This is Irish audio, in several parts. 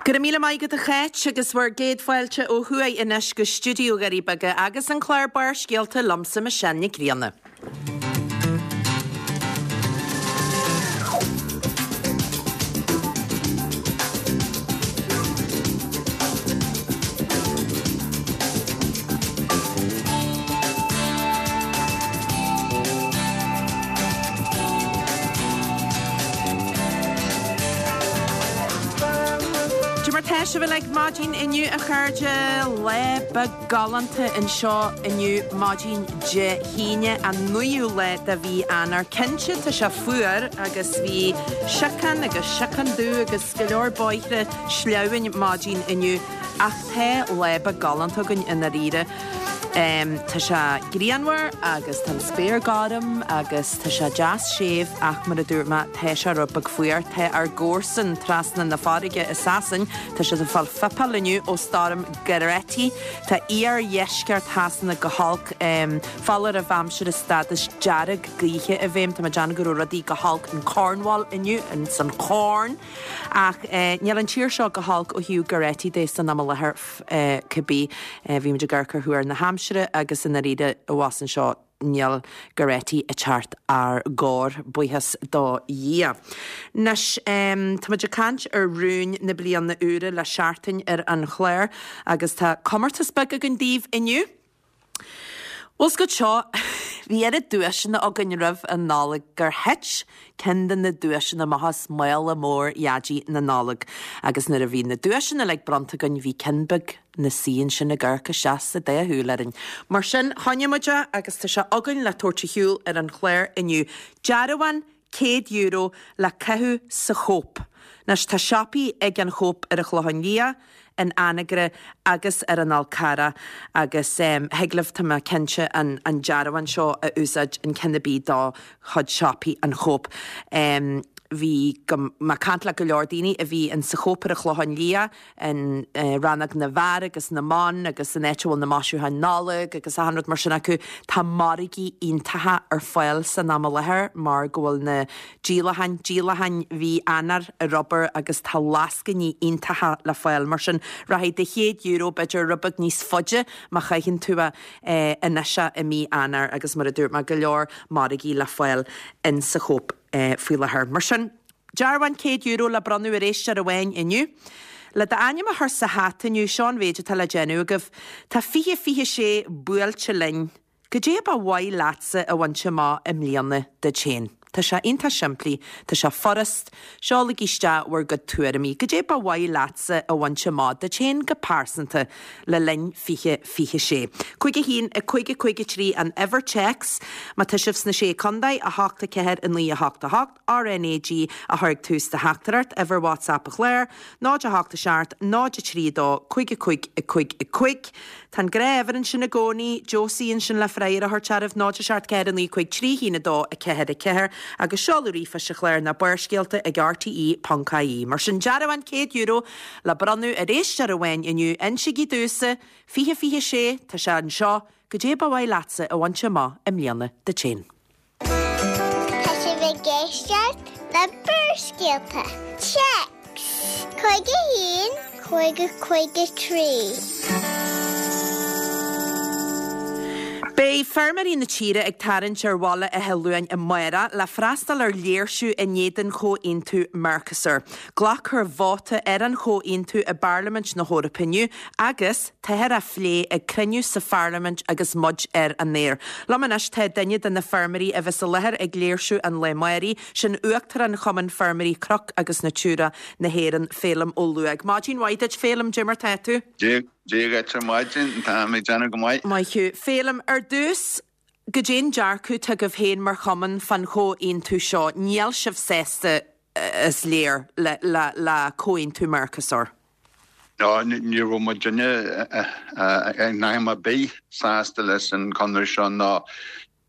Go raibh míle maith agat a Cháit agus bhur gcéad fáilte ó thuaidh anois go stiúideo Dhoirí Beaga agus an clár Barrscéalta liomsa Michelle Nic Grianna. Cad é mar tá sibh uilig maidin inniu a chairde? Lá beag galánta anseo inniu maidin Dé hAoine an 9ú lá de mhí Eanáir. Cinnte tá sé fuar agus bhí siocán agus siocán dubh agus go leor bóithre sleamhain maidin inniu ach tá lá beag galánta againn i ndáiríre. Tá sé grianmhar agus tá an spéir gorm agus tá sé deas séimh ach mar a dúirt mé, tá sé rud beag fuar. Tá ár gcomharsan trasna na farraige i Sasain, tá siad ag fáil fuipeáil inniu ó stoirm Goretti. Tá iardheisceart Shasana go holc. Foláireamh aimsire stádas dearg gaoithe i bhfeidhm. Tá mé ag déanamh go raibh rudaí go holc in Cornwall inniu, ins an Chorn. Ach níl an tír seo go holc ó thaobh Goretti de san am i láthair cibé. Bhí muid ag amharc ar thuar na haimsire agus i ndáiríre abhus anseo níl Goretti ag teacht ár gcóir, buíochas do Dhia. Anois, tá muid ag caint ar rúin na bliana úire le seachtain ar an chlár agus tá comórtas beag againn daoibh inniu. Bhfuil 's agat seo, bhí oiread duaiseanna againn roimh an Nollaig gur thit ceann de na duaiseanna amach as mála mór Dhaidí na Nollag. Agus nuair a bhí na duaiseanna uilig bronnta againn bhí ceann beag 'na suí ansin ag amharc isteach sa dá shúil orainn. Mar sin, choinnigh muid é agus tá sé againn le tabhairt ar shiúl ar an chlár inniu. Dearbhán €100 le caitheamh sa Chóip. Anois tá siopaí ag an Chóip ar an Chlochán Liath, in Anagaire agus ar an Fhál Carrach agus thig libh, tá mé cinnte, an dearbhán seo a úsáid in ceann ar bith dá chuid siopaí an Chóip. Bhí mé ag caint le go leor daoine a bhí in sa Chóip ar an Chlochán Liath, in rannóg na bhfear agus na mban agus an áit a bhfuil na maisiúcháin Nollag agus achan rud mar sin acu. Tá margaí iontacha ar fáil san am i láthair mar go bhfuil na díolacháin, díolacháin mhí Eanáir ar obair agus tá lascainí iontacha le fáil. Mar sin rachaidh do €100 b'fhéidir rud beag níos faide má chaitheann tú é anois i mí Eanáir agus mar a dúirt mé go leor margaí le fáil in sa Chóip faoi láthair. Mar sin. Dearbhán €100 le bronnadh ar éisteoir amháin inniu. Le d'ainm a chur sa hata inniu, seo an mhéid atá le déanamh agaibh. Tá 2026 buailte linn. Goidé ba mhaith leatsa a bhaint amach i mbliana duit féin? Tá sé iontach simplí, tá sé furast, seolaigí isteach bhur gcuid tuairimí. Goidé ba mhaith leatsa a bhaint amach duit féin go pearsanta le linn 2026? 5 1 5 5 3 an uimhir téacs má tá sibh sna Sé Contae, 8 4 9 8 8. RnaG a chur ag tús do theachtaireacht, uimhir WhatsApp an chláir, 0 8 7 0 3 2 5 5 5 5. Tá an gnáth-uimhir ansin i gcónaí, Josie ansin le freagra a thabhairt oraibh, 0 7 4 9 5 3 1 2 4 4, agus seoladh ríomhphoist an chláir ná Barrscéalta ag rte.ie. Mar sin, dearbhán €100 le bronnadh ar éisteoir amháin inniu, insígí domhsa, 2026, tá sé anseo, goidé ba mhaith leatsa a bhaint amach i mbliana duit féin. Tá sibh ag éisteacht le Barrscéalta. Téacs 51 50 53. Beidh feirmeoirí na tíre ag tarraingt ar Bhaile Átha Luain amárach le freastal ar léirsiú in éadan Chomhaontú Mercosur. Glacfar vóta ar an chomhaontú i bParlaimint na hEorpa inniu agus Táthar á phlé ag cruinniú sa Pharlaimint agus muid ar an aer. Liom anois tá duine de na feirmeoirí a bheas i láthair ag léirsiú an lae amáirigh, sin Uachtarán Chumann Feirmeoirí Cnoc agus Natura na hÉireann, Féilim Ó Luaig. Maidin mhaith duit, Féilim, dé mar tá tú? Dia dhuit ar maidin, táim ag déanamh go maith. Maith thú. Féilim, ar dtús, goidé an dearcadh atá agaibh féin mar chumann fán chomhaontú seo? Níl sibh sásta, is léir, le comhaontú Mercosur. No, ní raibh muidinne in am ar bith sásta leis an chonradh seo ná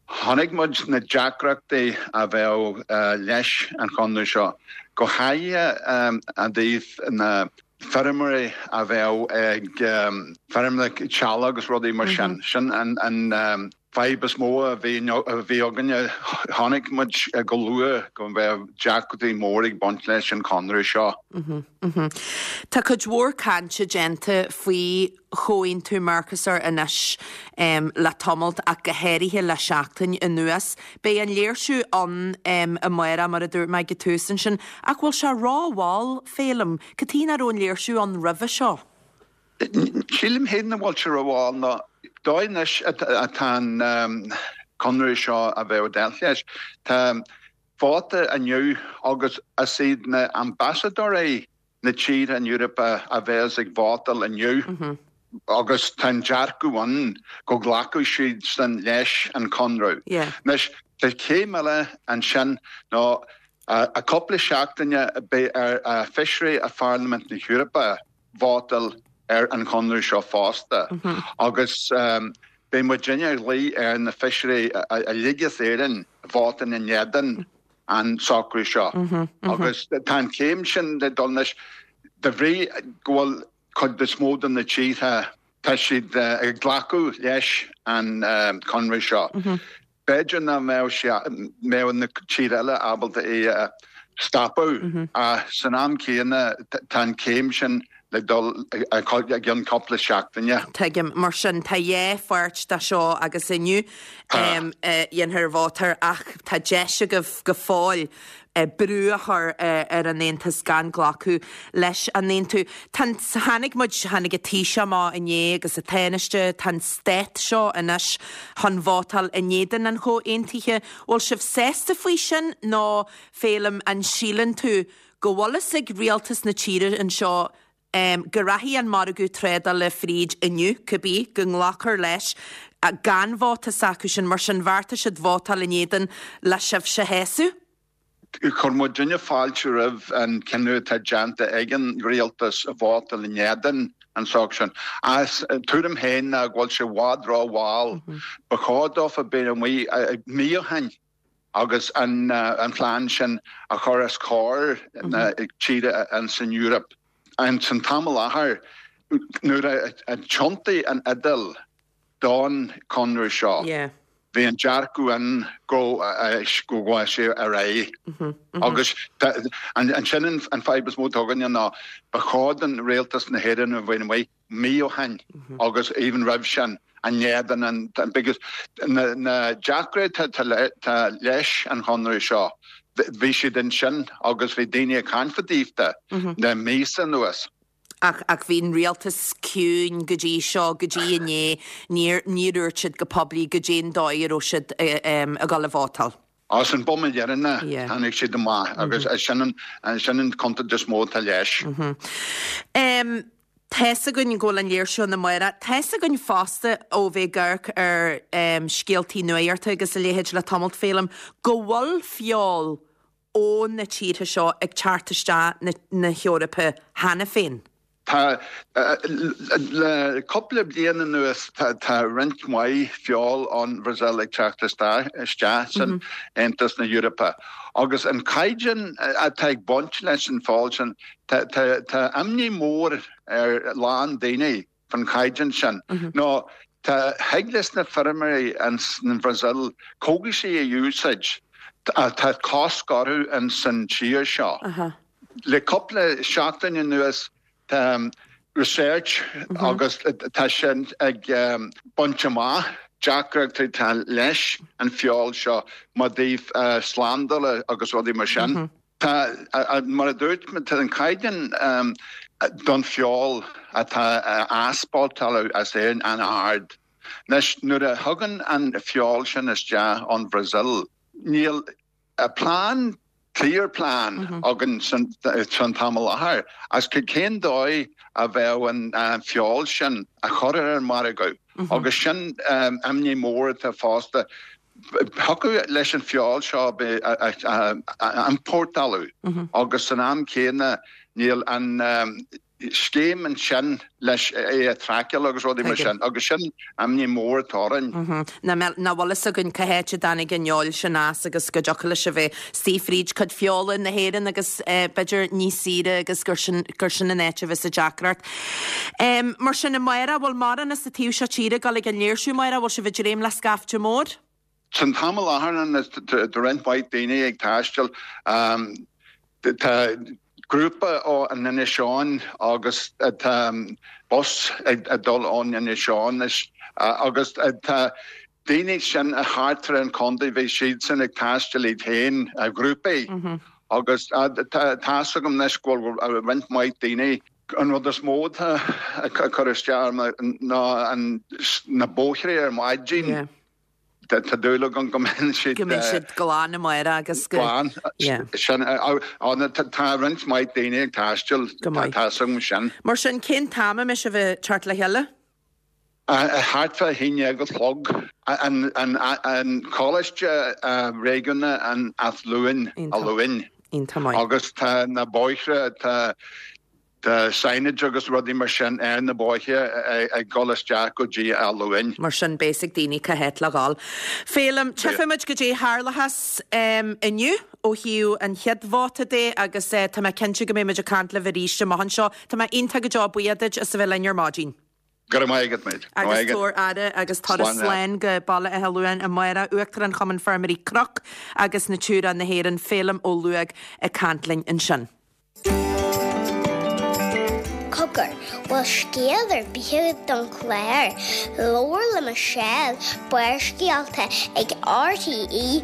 chonaic muid na deacrachtaí a bheadh leis an chonradh seo, go háirithe i dtaobh na feirmeoirí a bheadh ag feirmeanna teaghlaigh agus rudaí mar sin. Sin an fadhb is mó a bhí againne. Chonaic muid go luath go mbeadh deacrachtaí mór ag baint leis an chonradh seo. Tá cuid mhór cainte déanta faoi chomhaontú Mercosur anois le tamalt ach go háirithe le seachtain anuas. Beidh an léirsiú ann amárach mar a dúirt mé ag an tús ansin ach bhfuil sé rómhall, Féilim? Cad chuige nach raibh an léirsiú ann roimhe seo? Sílim féin nach bhfuil sé rómhall nó dóigh anois atá an conradh seo a bheith ag dul leis. Tá vóta inniu agus is iad na ambasadóirí na tíortha an Eorpa a bheas ag vótáil inniu agus tá an dearcadh ann go nglacfaidh siad san leis an conradh. Anois tá céim eile ansin nó i cúpla seachtaine beidh ar feisirí i Pharlaimint na hEorpa vótáil ar an chonradh seo fosta agus beidh muidinne ag glaoch ar na feisirí uilig as Éirinn vótáil in éadan an socrú seo agus tá an chéim sin le dul anois de bhrí go bhfuil cuid is mó de na tíortha tá siad ag glacadh leis an conradh seo. B'fhéidir nach mbeadh sé, mbeadh na tíortha eile ábalta é a stopadh ach san am céanna tá an chéim sin le dul i gceann cúpla seachtaine. Tuigim. Mar sin, tá dhá pháirt de seo agus inniu dhéanfar vótáil ach tá deis agaibh go fóill brú a chur ar an Aontas gan glacadh leis an aontú. Tá an, tháinig muid, tháinig an Taoiseach amach inné agus an Tánaiste, tá an stát seo anois chun vótáil in éadan an chomhaontaithe. Bhfuil sibh sásta faoi sin nó, Féilim, an síleann tú go bhfuil fhios ag rialtas na tíre anseo go rachaidh an margadh trádála fríd inniu, cibé, go nglacfar leis gan vóta s'acu sin, mar sin bheartaigh siad vótáil in éadan le sibhse a shásamh? Chuir muidinne fáilte roimh an cinneadh atá déanta ag an rialtas vótáil in éadan an socrú sin. Ach tuairim féin ná go bhfuil sé i bhfad ró-mhall. Ba chóir dófa bheith amuigh mí ó shin. agus an plean sin a chur os comhair na tíre ins an Eoraip. Ins an t-am i láthair, nuair a thiontaigh an Iodáil don chonradh seo, bhí an dearcadh ann go ghabh sé ar aghaidh. Agus ansin an fadhb is mó atá againne ná ba chóir don rialtas na hÉireann a bheith amuigh mí ó shin agus even roimh sin in éadan an because na na deacrachtaí atá leis an chonradh seo bhí siad ansin agus bhí daoine ag caint fá dtaobh de le míosa anuas. Ach ach bhí an rialtas ciúin go dtí seo, go dtí inné, níor níor dhúirt siad go poiblí goidé an dóigh a raibh siad ag dul a vótáil. Ach san bomaite dheireanach tháinig siad amach agus sin an sin an contúirt is mó atá leis. Tá's againn go bhfuil an léirsiú ann amárach. Tá's againn fosta ó bheith ag amharc ar scéaltaí nuachta agus a leithéid le tamalt, Féilim, go bhfuil feoil ó na tíortha seo ag teacht isteach na hEorpa cheana féin. Tá, le cúpla bliain anuas tá roinnt mhaith feoil ón Bhrasaíl ag teacht isteach san Aontas na hEorpa agus an caighdeán atá ag baint leis an feoil sin, tá imní mór ar a lán daoine faoin chaighdeán sin. Nó tá, thig leis na feirmeoirí ins an Bhrasaíl cógaisí a úsáid, tá cosc orthu ins an tír seo. Le cúpla seachtain anuas tá research agus tá sin ag baint amach deacrachtaí atá leis an feoil seo má dtaobh slándála agus rudaí mar sin. Tá, mar a dúirt mé, tá an caighdeán don feoil atá á easpórtáil as Éirinn an-ard. Anois nuair a thagann an feoil sin isteach ón Bhrasaíl níl plean, clear plan againn san t-am i láthair as cén dóigh a bheadh an feoil sin a chur ar an margadh agus sin imní mór atá fosta. Thiocfadh leis an feoil seo a iompórtáladh agus san am céanna níl an scéim ansin leis é a traiceáil agus rudaí mar sin agus sin imní mór atá orainn. Nach bhfuil fhios againn cá háit a dtáinig an fheoil sin as agus go dtiocfadh leis a bheith istigh fríd cuid feola na hÉireann agus b'fhéidir níos saoire agus gur sin gur sin an áit a bheas an deacracht. Mar sin amárach, bhfuil mórán as an taobh seo tíre ag dul ag an léirsiú amárach, bhfuil sibh ag dréim le scaifte mór? San t-am i láthair tá roinnt mhaith daoine ag taisteal. Tá. grúpa ó an Inis Eoghain agus tá bus ag dul ón Inis Eoghain agus tá daoine sin thart ar an chontae, bhí siadsan ag taisteal iad féin i ghrúpaí agus tá's agam anois go bhfuil roinnt mhaith daoine. An rud is mó atá ag cur isteach orm ná na bóithre ar maidin. Tá dúil agam go mbeidh siad. Go mbeidh siad glan amárach agus go. Glan. Sin, tá roinnt mhaith daoine ag taisteal. Go maith. Tá's agam sin. Mar sin, cén t-am a mbeidh sibh ag teacht le chéile? Thart fá 11 a chlog. An Coláiste Réigiúnach in Áth Luain, Áth Luain. Iontach maith. Agus tá na bóithre, tá Tá signage agus rudaí mar sin ar na bóithre ag dul isteach go dtí Áth Luain. Mar sin beidh a fhios ag daoine cá háit le dhul. Féilim, tchífimid goidé tharlóchas inniu ó thaobh an chéad vóta de agus tá mé cinnte go mbeidh muid ag caint libh arís amach anseo. Tá mé iontach go deo buíoch duit as a bheith linn ar maidin. Go raibh maith agat, mate. Agus tabhair aire agus turas slán go Baile Átha Luain amárach, Uachtarán Chumann Feirmeoirí Cnoc agus Natura na hÉireann, Féilim Ó Lúóg ag caint linn ansin. Cogar, bhfuil scéal ar bith agat don chlár? Labhair le Michelle, Barrscéalta ag RTE.ie.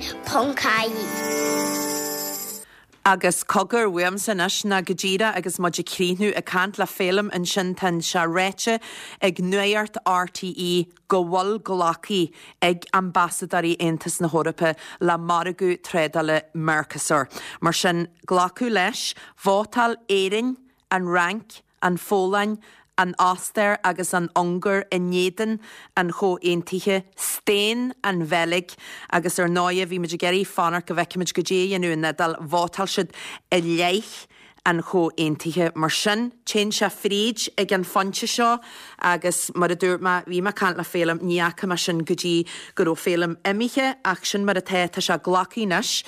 Agus cogar uaimse anois ná go díreach agus muid ag críochnú ag caint le Féilim ansin tá sé ráite ag Nuacht RTE go bhfuil glactha ag ambasadóirí Aontas na hEorpa le margadh trádála Mercosur. Mar sin, glacadh leis, vótáil Éirinn, an Fhrainc, an Pholainn, an Ostair agus an Ungáir in éadan an chomhaontaithe, staon an Bheilg agus ar ndóighe bhí muid ag iarraidh fanacht go bhfeicfimid goidé a dhéanadh an Iodáil, vótáil siad i leith an chomhaontaithe. Mar sin, téann sé fríd ag an phointe seo agus mar a dúirt mé, bhí mé ag caint le Féilim, ní fhaca mé sin go dtí go raibh Féilim imithe ach sin mar atá, tá sé glactha anois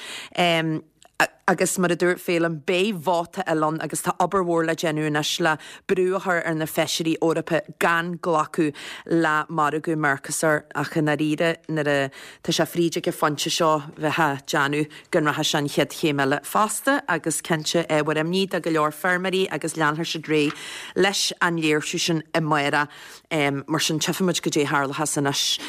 agus mar a dúirt Féilim, beidh vóta eile ann agus tá obair mhór le déanamh anois le brú a chur ar na feisirí Eorpacha gan glacadh le margadh Mercosur ach i ndáiríre nuair a tá sé fríd ag an phointe seo bheifeá ag déanamh go nrachaidh sé an chéad chéim eile fosta agus cinnte ábhar imní do go leor feirmeoirí agus leanfaidh siad ar aghaidh leis an léirsiú sin amárach. Mar sin tchífimid goidé a tharlóchas anois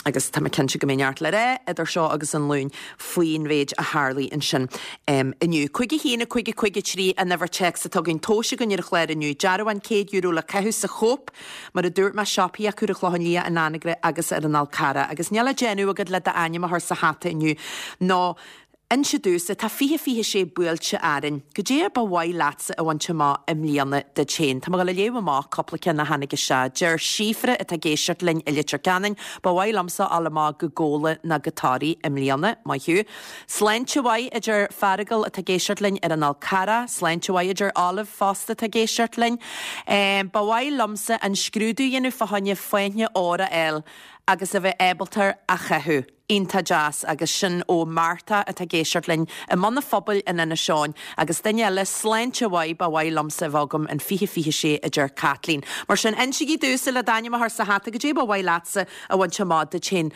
agus tá mé cinnte go mbeidh neart le rá idir seo agus an Luan faoin mhéid a tharlaigh ansin inniu. 5 1 5 5 3 an uimhir téacs atá againn tomhaiste againn ar an chlár inniu. Dearbhán €100 le caitheamh sa Chóip. Mar a dúirt mé, siopaí acu ar an Chlochán Liath, in Anagaire agus ar an Fhál Carrach. Agus níl le déanamh agat le d'ainm a chur sa hata inniu ná inse domhsa, tá 2026 buailte orainn. Goidé ba mhaith leatsa a bhaint amach i mbliana duit féin? Tá mé ag dul a léamh amach cúpla ceann a tháinig isteach. Deir Síofra atá ag éisteacht linn i Leitir Ceanainn, Ba mhaith liomsa a fháil amach go Gabhla ná go Toraigh i mbliana. Maith thú. Sláinte mhaith, a deir Feargal atá ag éisteacht linn ar an Fhál Carrach. Sláinte mhaith, a deir Olive fosta atá ag éisteacht linn. Ba mhaith liomsa an scrúdú a dhéanamh fá choinne fáinne óir a fháil agus a bheith ábalta a chaitheamh. Iontach deas agus sin ó Martha atá ag éisteacht linn i mBun an Phobail in Inis Eoghain. Agus duine eile, Sláinte mhaith, ba mhaith liomsa a bheith agam in 2026, a deir Caitlín. Mar sin, insígí domhsa le d'ainm a chur sa hata, goidé ba mhaith leatsa a bhaint amach duit féin.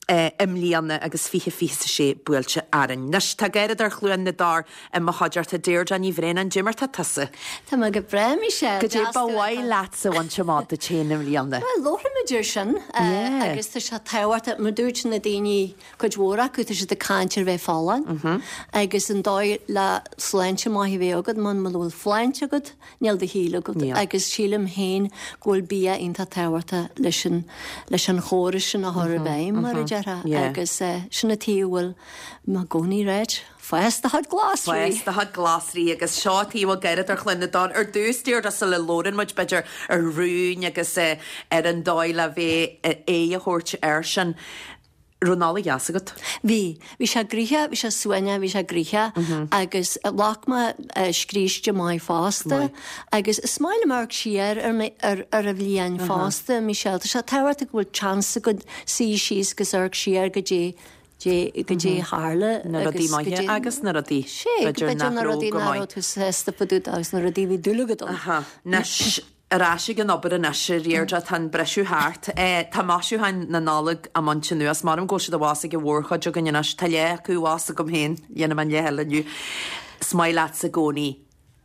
i mbliana agus 2026 buailte orainn. Anois, tá Garradóir Chluain na dTor i mo chuideachta, Deirdre Ní Bhraonáin, Goidé mar tá tusa? Tá mé go breá, Michelle. Goidé ba mhaith leatsa a bhaint amach duit féin i mbliana? Bhuel, labhraímid air sin agus tá sé tábhachtach, mar dúirt na daoine, cuid mhór acu, tá siad ag caint ar bheith folláin agus an dóigh le sláinte maith a bheith agat, muna bhfuil sláinte agat, Níl do shaol agat. Agus sílim féin go bhfuil bia iontach tábhachtach leis an, leis an chóras sin a chur i bhfeidhm, mar a déarfá. Agus sin an tuige a bhfuil mé i gcónaí ag ráit, fás do chuid glasraí! Fás do chuid glasraí agus seo an tuige a bhfuil Garradóir Chluain na dTor ar dtús, Deirdre, sula labhrann muid b'fhéidir ar rúin agus ar an dóigh le bheith aghaidh a thabhairt air sin. Raibh Nollaig dheas agat? Bhí. Bhí sé gnoitheach, bhí sé suaimhneach, bhí sé gnoitheach agus ghlac mé scríste maith fosta agus is maith liom amharc siar ar ar ar an bhliain fosta, Michelle. Tá sé tábhachtach go bhfuil chance agat suí síos agus amharc siar goidé goidé a tharla Na rudaí maithe agus na rudaí b'fhéidir nach raibh go maith. nach raibh tú sásta fá dtaobh de agus na rudaí a bhí dúil agat ann. Aha. Anois, Ar ais ag an obair anois, a Dheirdre, tá an briseadh thart. Tá maisiúcháin na Nollag á mbaint anuas. Measaim go bhfuil siad abhus ag an mhórchuid againn anois. Tá leath acu abhus agam féin, dhéanfaidh mé an leath eile inniu. Is maith leatsa i gcónaí.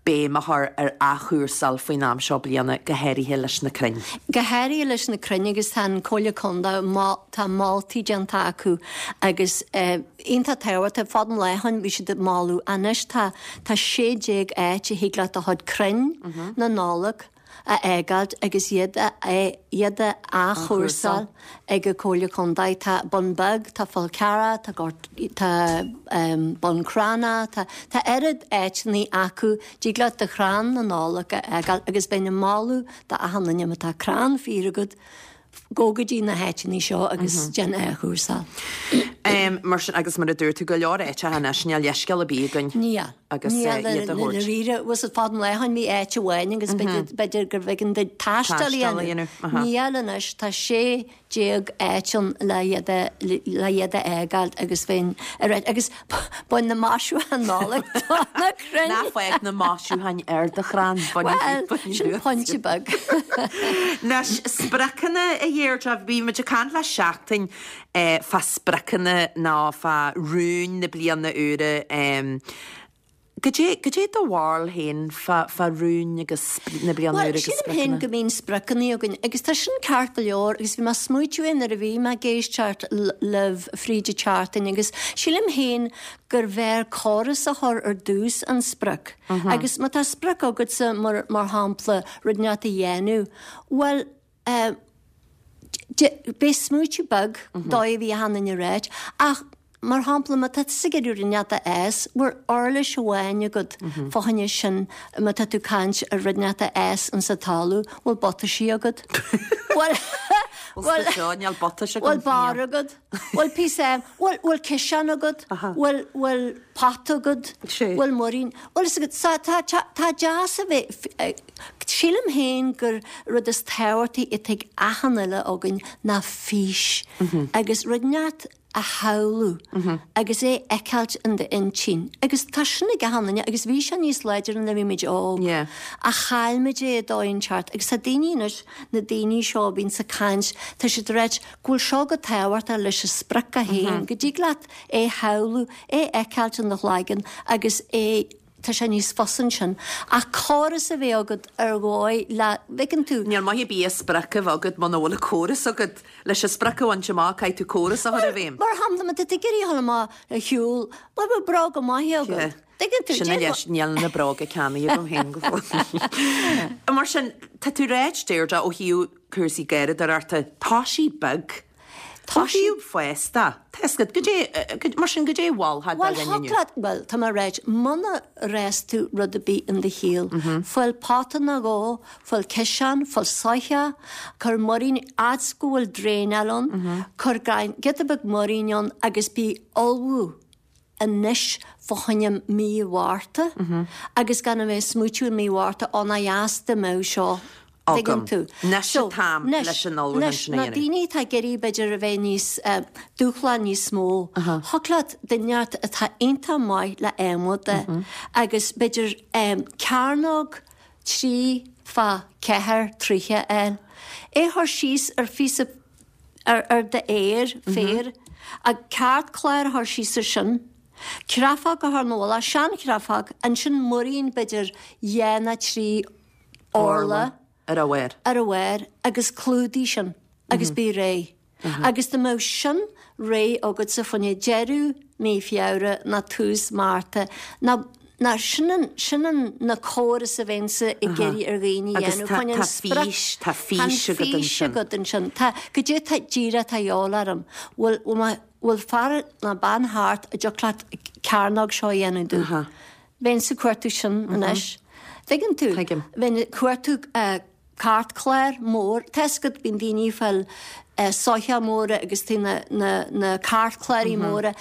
béim a chur ar athchúrsáil faoin am seo bliana, go háirithe leis na crainn. Go háirithe leis na crainn agus tá an Comhairle Contae, tá moltaí déanta acu agus iontach tábhachtach, fad an lá ó shin bhí siad ag moladh, anois tá tá 16 áit a thig leat do chuid crainn na Nollag a fhágáilt agus iad a iad a athchúrsáil ag an Comhairle Contae. Tá Bun Beag, tá Fál Carrach, tá Gort, tá Bun Cranncha, tá tá oiread áiteanna acu, dtig leat do chrann na Nollag a fhágáil agus bheinn ag moladh do achan duine má tá crann féir agat, gabh go dtí na háiteanna seo agus déan athchúrsáil. Mar sin, agus mar a dúirt tú, go leor áiteacha anois, níl leithscéal ar bith againn Níl. agus Níl iad a thabhairt. Dáiríre, bhfuil fad an lá ó shin bhí áit amháin agus b'fhéidir gurbh éigean duit taisteal a dhéanamh. Níl anois, tá 16 áit ann le iad a le iad a fhágáil agus bheinn ar agus bain na maisiúcháin Nollag do na crainn. Ná fág na maisiúcháin ar do chrann. Bhuel, sin pointe beag. Anois, spriocanna, a Dheirdre, bhí muid ag caint le seachtain fá spriocanna nó fá rúin na bliana úire. Goidé, goidé do bharúil féin fá, fá rúin agus na bliana Bhuel, úire agus sílim féin spriocanna? go mbíonn spriocanna againn agus tá sin ceart go leor agus bhí mé ag smaoitiú air nuair a bhí mé ag éisteacht libh fríd an tseachtain agus sílim féin gur bhfearr córas a chur ar dtús an sprioc agus má tá sprioc agatsa mar, mar shampla rud inteacht a dhéanamh, bhuel, eh, beidh smaoitiú beag dóigh a bhí achan duine ag ráit ach mar shampla má tá tusa ag iarraidh rud inteacht a fhás, bhfuil uirlis amháin agat fá choinne sin má tá tú ag caint ar rud inteacht a fhás insa talamh, bhfuil butaisí agat? Bhfuil Bhfuil seo, níl butais agam. Bhfuil barr agat? Bhfuil píosa, bhfuil, bhfuil ciseán agat? Bhfuil, bhfuil pota agat? Bhfuil muirín? Bhfuil fhios agat, so tá, tá, tá deas a bheith, sílim féin gur rud is tábhachtaí atá ag achan uile againn ná fís agus rud inteacht a shamhlú agus é a fheiceáilt in d'intinn. Agus tá sin ag achan duine agus bhí sé níos láidre nuair a bhí muid óg ach chaill muid é i dóigh inteacht agus tá daoine anois, na daoine seo a bhíonns ag caint, tá siad ag ráit go bhfuil seo go tábhachtach leis an sprioc é féin, go dtig leat é shamhlú, é a fheiceáilt in do chloigeann agus é, tá sé níos fusa ansin. Ach córas a bheith agat ar dhóigh le, bhfeiceann tú. Níl maith ar bith an sprioc a bheith agat muna bhfuil an córas agat. Leis an sprioc a bhaint amach, caithfidh tú córas a chur i bhfeidhm. Mar shampla, má tá tú ag iarraidh a dhul amach ar shiúl, bhuel, bhfuil bróga maithe agat? Tuigeann tú? Sin a leis, níl na bróga ceannaithe agam féin go fóill. Mar sin, tá tú ráit, Deirdre, ó thaobh cúrsaí garraíodóireachta, tá sí beag. Tá sí fásta. Tá fhios agat, goidé, mar sin, goidé a mholfá do Bhuel, dhuine thig inniu? leat, bhuel, tá mé ag ráit, muna bhfás tú rud ar bith in do shaol, fáil pota nó dhó, fáil ciseán, fáil soitheach, cuir muirín, fhad 's go bhfuil draenáil ann, cuir giota beag muirín ann agus bí ullmhú. anois fá choinne mí Mhárta agus gan a bheith ag smaoitiú i mí Mhárta, ó nach dheas dá mbeadh seo agam. Tuigeann tú. Anois So, an t-am anois, leis an ullmhúchán anois, sin a na dhéanamh. daoine atá ag iarraidh b'fhéidir a bheith níos, eh, dúshlán níos mó, thig leat duine inteacht atá iontach maith le adhmad de agus b'fhéidir, eh, cearnóg 3 fá 4 troithe a fháil, é a chur síos ar phíosa ar d'fhéar, féar, ag ceartchlár a chur síos ar sin, creafóg a chur ina mhullach, sean-chreafóg, ansin muirín b'fhéidir dhá nó 3 orla ar a bharr. ar a bharr agus clúdaigh sin agus bí réidh. Agus dá mbeadh sin réidh agatsa fá choinne deireadh mí Feabhra nó tús Márta nó Ná sin an, sin an, na córas a bheinnse ag iarraidh ar dhaoine a Agus dhéanamh tá, chun an tá sprioc, fís, tá tá an fís agat fís ansin. agat ansin. Tá, goidé tá díreach atá a dhíobháil orm. Bhfuil, bhfuil mé, bhfuil fear ná bean thart a dtiocfadh leat cearnóg seo a dhéanamh domh. Aha. Bheinnse ag cuartú sin anois. Tuigeann tú? Tuigim. Bheinn ag cuartú eh, Cairtchlár mór, tá fhios agat, bíonn daoine ag fáil soithí móra agus tá na, na, na cairtchláirí móra,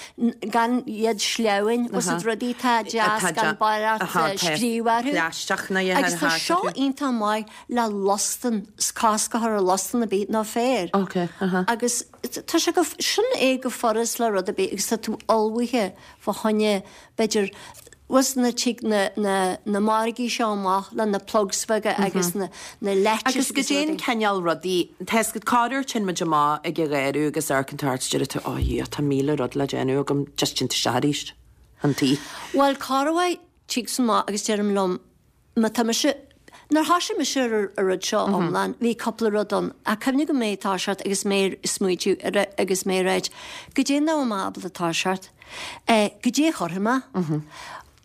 gan iad sleamhain, bhfuil fhios agat rudaí atá deas gan barraíocht scríobh orthu. Plaisteach ná a Agus tá seo iontach maith le lustan, cosc a chur ar lustan ar bith nó féar. Agus tá sé go, sin é go furast le rud ar bith agus tá tú ullmhaithe fá choinne b'fhéidir, bhfuil fhios nuair a tig na, na, na margaí seo amach le na plugs beaga agus na, na leaitis Agus agus goidé an rudaí. cineál rudaí, tá fhios agat, corruair téann muid amach ag an gharradh agus amharcann tú thart is deireann tú, oh yeah, tá 1000 rud le déanamh agam, just téann tú isteach arís, an tí. Bhuel, corruair, tigimse amach agus deirim liom. Má tá mise, nuair thoisigh mise ar an rud seo iomlán, bhí cúpla rud ann. Ach cuimhnigh go mé ag toiseacht agus mé ag smaoitiú agus mé ag ráit, goidé nach bhfuil mé ábalta toiseacht, goidé a chuirfidh mé,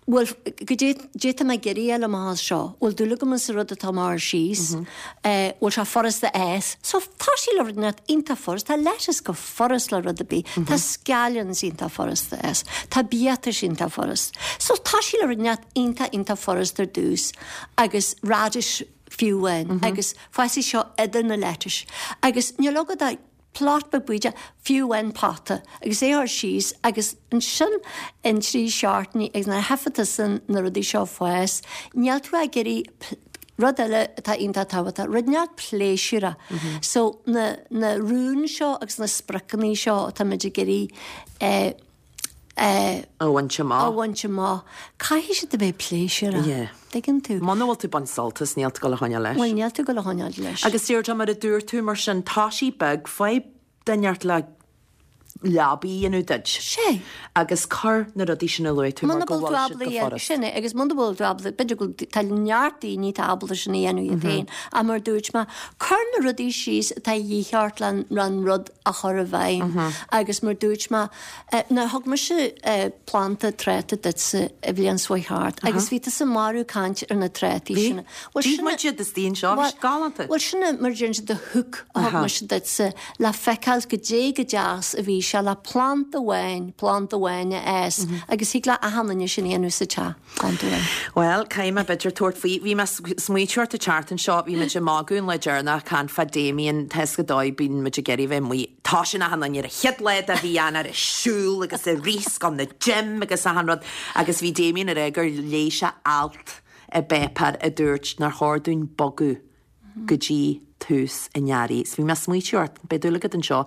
bhfuil, goidé, goidé tá mé ag iarraidh a fháil amach as seo, bhfuil dúil agam sa rud atá mé a chur síos, bhfuil sé furasta a fhás. So toisigh le rud inteacht iontach furast, tá lettuce go furast le rud ar bith, tá scallions iontach furast a fhás, tá biatais iontach furast. So toisigh le rud inteacht iontach iontach furast ar dtús agus radish fiú amháin agus fásfaidh seo idir na lettuce agus níl agat ach plot beag bídeach fiú amháin pota agus é a chur síos agus ansin in 3 seachtainí agus nuair a tchífidh tusa na rudaí seo ag fás níl tú ag iarraidh rud eile atá iontach tábhachtach rud inteacht pléisiúrach so na na rúin seo agus na spriocanna seo atáimid ag iarraidh eh a bhaint amach. a bhaint amach. Caithfidh siad a bheith pléisiúrach. Yeah. Tuigeann tú? Muna bhfuil tú ag baint sult as, níl tú ag dul a choinneáil leis. Bhuel, níl tú ag dul a choinneáil leis. Agus Deirdre, mar a dúirt tú, mar sin, toisigh beag, faigh duine inteacht le leabaí a dhéanamh duit. Sé. Agus cuir na rudaí sin a luaigh tú mar Muna go bhfuil tú bhfuil siad ábalta go a dhéanamh, furast. sin é, agus muna bhfuil tú ábalta, b'fhéidir go bhfuil, tá neart daoine atá ábalta sin a dhéanamh iad féin, ach mar a dúirt mé, cuir na rudaí síos atá a dhíth ort le an rud a chur i bhfeidhm. Agus mar a dúirt mé, Now thug mise planda tráta duitse an bhliain seo chuaigh thart agus bhí tusa marbh caint ar na trátaí sin. Bhí. D'ith muid iad istigh anseo, bhí siad galánta. Bhuel sin é mar a deireann siad the hook a thug mise duitse le feiceáil goidé go deas a bhí sé le planda amháin, planda amháin a fhás agus thig le achan duine sin a dhéanamh sa teach, planda amháin. Bhuel, caithfidh mé b'fhéidir tabhairt faoi. Bhí mé ag smaoitiú ort an tseachtain seo, bhí muid ag magadh an lá deireanach ag caint fá Damien, tá 'fhios agat dóigh, bíonn muid ag iarraidh bheith amuigh. Toisíonn achan duine ar an chéad lá de mhí Eanáir ag siúl agus ag rith 's ag dul 'na gym agus achan rud agus bhí Damien ag rá gur léigh sé alt i bpáipéar a dúirt nár chóir dúinn bogadh go dtí tús an earraigh. 'S bhí mé ag smaoitiú ort, beidh dúil agat anseo.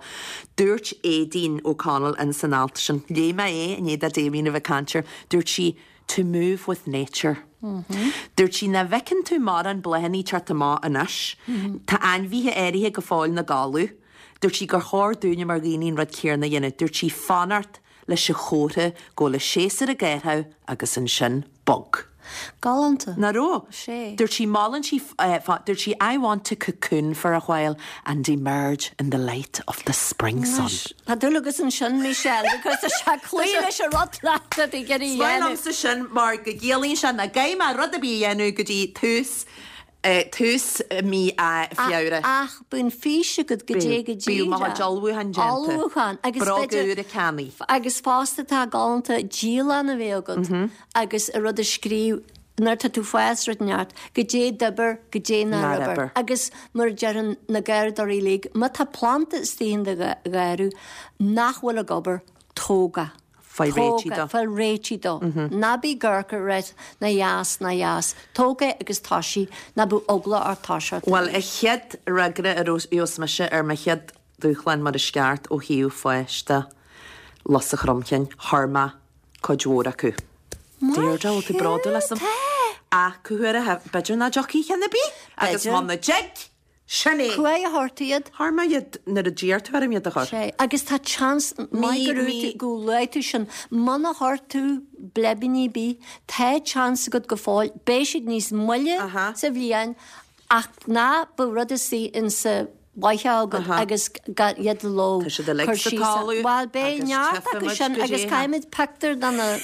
Dúirt Aideen O'Connell ins an alt sin, léigh mé é i ndiaidh do Damien a bheith ag caint air, dúirt sí, to move with nature. Dúirt sí, nach bhfeiceann tú mórán bláthanna ag teacht amach anois, tá ainmhithe áirithe go fóill 'na gcodladh. Dúirt sí gur chóir dúinne mar dhaoine an rud céarna a dhéanamh. Dúirt sí fanacht leis an chomhartha go bhfuil an séasúr ag athrú agus ansin bog. Galánta. Nach raibh? Sé. Dúirt sí molann sí dúirt sí I want to cocoon for a while and emerge in the light of the spring sun. Anois, tá dúil agat ansin, Michelle, because tá sé cloí leis an rud leat atá ag iarraidh a Is maith dhéanamh. liomsa sin mar go gciallaíonn sé nach gcaithfidh mé rud ar bith a dhéanamh go dtí tús tús mí Feabhra. Ach bíonn fís agat goidé go Bíodh mo díreach. chuid ullmhúchán déanta. Ullmhúchán. Agus Bróga b'fhéidir. úra ceannaithe. Agus fosta tá galánta dialann a bheith agat agus an rud a scríobh nuair atá tú ag fás rud inteacht, goidé d'oibir, goidé nár Nár oibir. oibir. Agus mar a deireann na garraíodóirí uilig, má tá planda istigh in do gharraí nach bhfuil ag obair, tóg é. Faigh réitigh dó. Faigh réitigh dó. Ná bí ag amharc air ná dheas ná dheas. Tóg é agus toisigh, ná bíodh eagla ort toiseacht. Bhuel, a chéad fhreagra a gheobhas mise ar mo chéad dúshlán mar is ceart ó thaobh fáis de, lus an chromchinn, chuir mé cuid mhór acu. Deirdre, bhfuil tú bródúil asam? Tá! Ach cá huair a, b'fhéidir nach dtiocfaidh ceann ar bith agus B'fhéidir. muna dtig! Sin é! Cá huair a chuir tú iad? Chuir mé iad nuair a d'iarr tú orm iad a chur. Sé. Agus tá chance maith go raibh tú, go luaigh tú sin, muna chuir tú bleibíní ar bith, tá chance agat go fóill, beidh siad níos moille sa bhliain ach ná bíodh rud istigh insa bhfaiche agat agus gan iad a ló, Tá siad uilig cur sa síos. talamh Bhuel, beidh agus neart acu tchífimid sin go agus dté. caithfimid pictiúr de na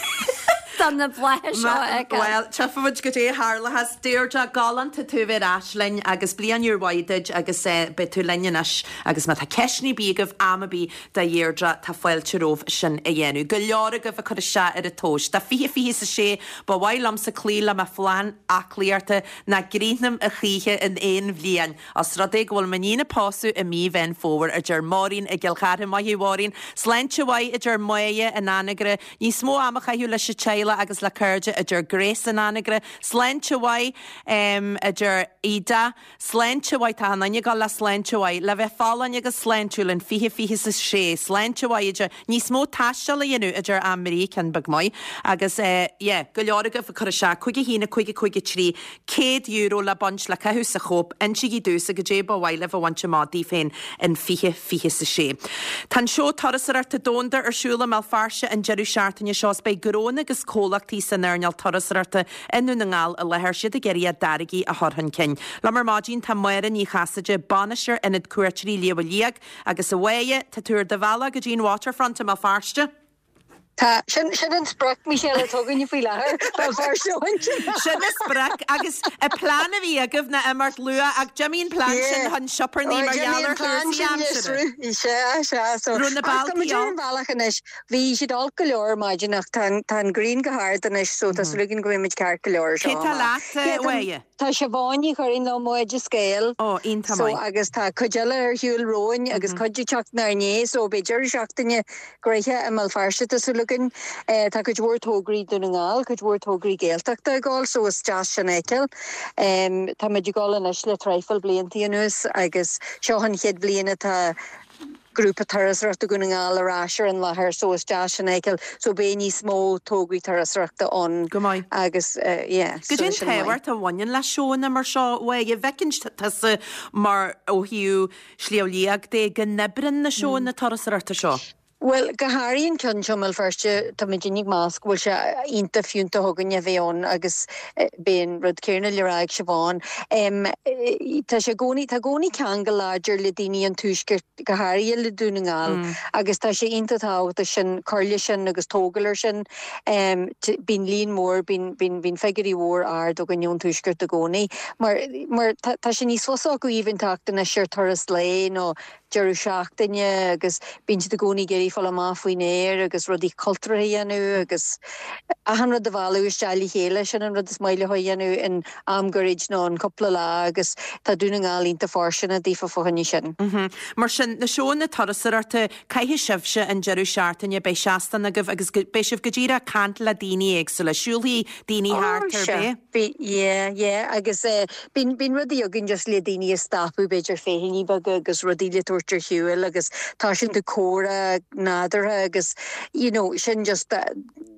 de na blátha seo a fheiceáil. Bhuel, tchífimid goidé a tharlóchas. Deirdre, galánta tú bheith ar ais linn agus bliain úr mhaith duit agus beidh tú linn anois agus má tá ceisteanna ar bith agaibh am ar bith do Dheirdre tá fáilte romhaibh sin a dhéanamh. Go leor agaibh ag cur isteach ar an tomhas. Do 2026 ba mhaith liomsa cloí le mo phlean aclaíochta nach gcríochnaím a choíche in aon bhliain. Os rud é go bhfuil m'iníon ag pósadh i mí Mheán Fómhair, a deir Máirín i gCill Chartha. Maith thú, a Mháirín. Sláinte mhaith, a deir Máire in Anagaire. Níos mó am a chaitheamh leis an teaghlach agus le cairde, a deir Grace in Anagaire. Sláinte mhaith, a deir Ida. Sláinte mhaith, tá an duine ag dul le sláinte mhaith. Le bheith folláin agus sláintiúil in 2026. Sláinte mhaith, a deir. Níos mó taistil a dhéanamh, a deir Anne Marie, ceann beag maith. Agus, yeah, go leor agaibh ag cur isteach, 5 1 5 5 3, €100 le baint le caitheamh sa Chóip, insígí domhsa goidé ba mhaith libh a bhaint amach daoibh féin in 2026. Tá an seó turasóireachta domhanda ar siúl i mBéal Feirste an deireadh seachtaine seo is beidh gnónna agus. comhlachtaí san earnáil turasóireachta i nDún na nGall i láthair, siad ag iarraidh a dtáirgí a chur chun cinn. Liom ar maidin tá Máire Ní Chasaide, Bainisteoir Ionad Cuairteoirí Shliabh Liag, agus a Mháire, tá tú ar do bhealach go dtí an Waterfront i mBéal Feirste. Tá, sin, sin an sprioc, Michelle, atá againne faoi láthair, Béal Feirste a bhaint amach. Sin an sprioc, agus an plean a bhí agaibh ná imeacht luath, ach d'imigh an plean sin chun sioparnaí mar gheall ar chúrsaí aimsire. Sea, sea, so, Raibh na ach tá bealtaí muid ar an olc. bhealach anois. Bhí siad olc go leor ar maidin ach tá an, tá an ghrian go hard anois so tá súil againn go mbeidh muid ceart go leor Cé seo tá amach. leat, Yeah, a Mháire? Tá Siobhán Ní Churraoin liom ó Oideas Gael. Ó, iontach So, maith. agus tá cuid eile ar shiúl romhainn agus cuid ag teacht inár ndiaidh so beidh deireadh seachtaine gnoitheach i mBéal Feirste tá súil againn. Tá cuid mhór tograí Dún na nGall, cuid mhór tograí Gaeltachta ag dul so is deas sin a fheiceáil. Tá muid ag dul anois le traidhfil bliantaí anuas agus seo an chéad bhliain atá Grúpa Turasóireachta Dhún na nGall ar ais ar an láthair so is deas sin a fheiceáil so beidh níos mó tograí turasóireachta ann Go maith. agus yeah Go so dté an sin maith. tábhacht a bhaineann le seóanna mar seo uaidh, an bhfeiceann tusa mar ó thaobh Shliabh Liag de go n-oibreann na seóanna turasóireachta seo? Bhuel, go háirithe an ceann seo i mBéal Feirste, tá muid ag meas go bhfuil sé iontach fiúntach againne a bheith ann agus beidh an rud céanna le rá ag Siobhán. Tá sé i gcónaí, tá i gcónaí ceangal láidir le daoine an Tuaiscirt, go háirithe le Dún na nGall, agus tá sé iontach tábhachtach sin, cur leis sin agus tógáil ar sin. Bíonn líon mór, bíonn, bíonn, bíonn figiúirí mhór ard againn ón Tuaisceart i gcónaí mar, mar tá, tá sé níos fusa acu even teacht anois ar turas lae nó deireadh seachtaine agus bíonn siad i gcónaí ag iarraidh fáil amach faoin aer agus rudaí cultúrtha a dhéanamh agus achan rud a mhealladh isteach le chéile, sin an rud is maith leo a dhéanamh in am gairid nó in cúpla lá agus tá Dún na nGall iontach fóirsteanach daofa fá choinne sin. Mar sin, na seóanna turasóireachta, caithfidh sibhse an deireadh seachtaine, beidh seastán agaibh agus beidh sibh go díreach ag caint le daoine éagsúla, siúlfaidh daoine thart Ó, ar sea. bith. Bí, yeah, yeah, agus eh, bíonn, bíonn rudaí againn just le daoine a stopadh, b'fhéidir féichiúnaí beaga agus rudaí le tabhairt ar shiúl agus toisíonn tú comhrá nádúrtha agus, you know, sin just eh,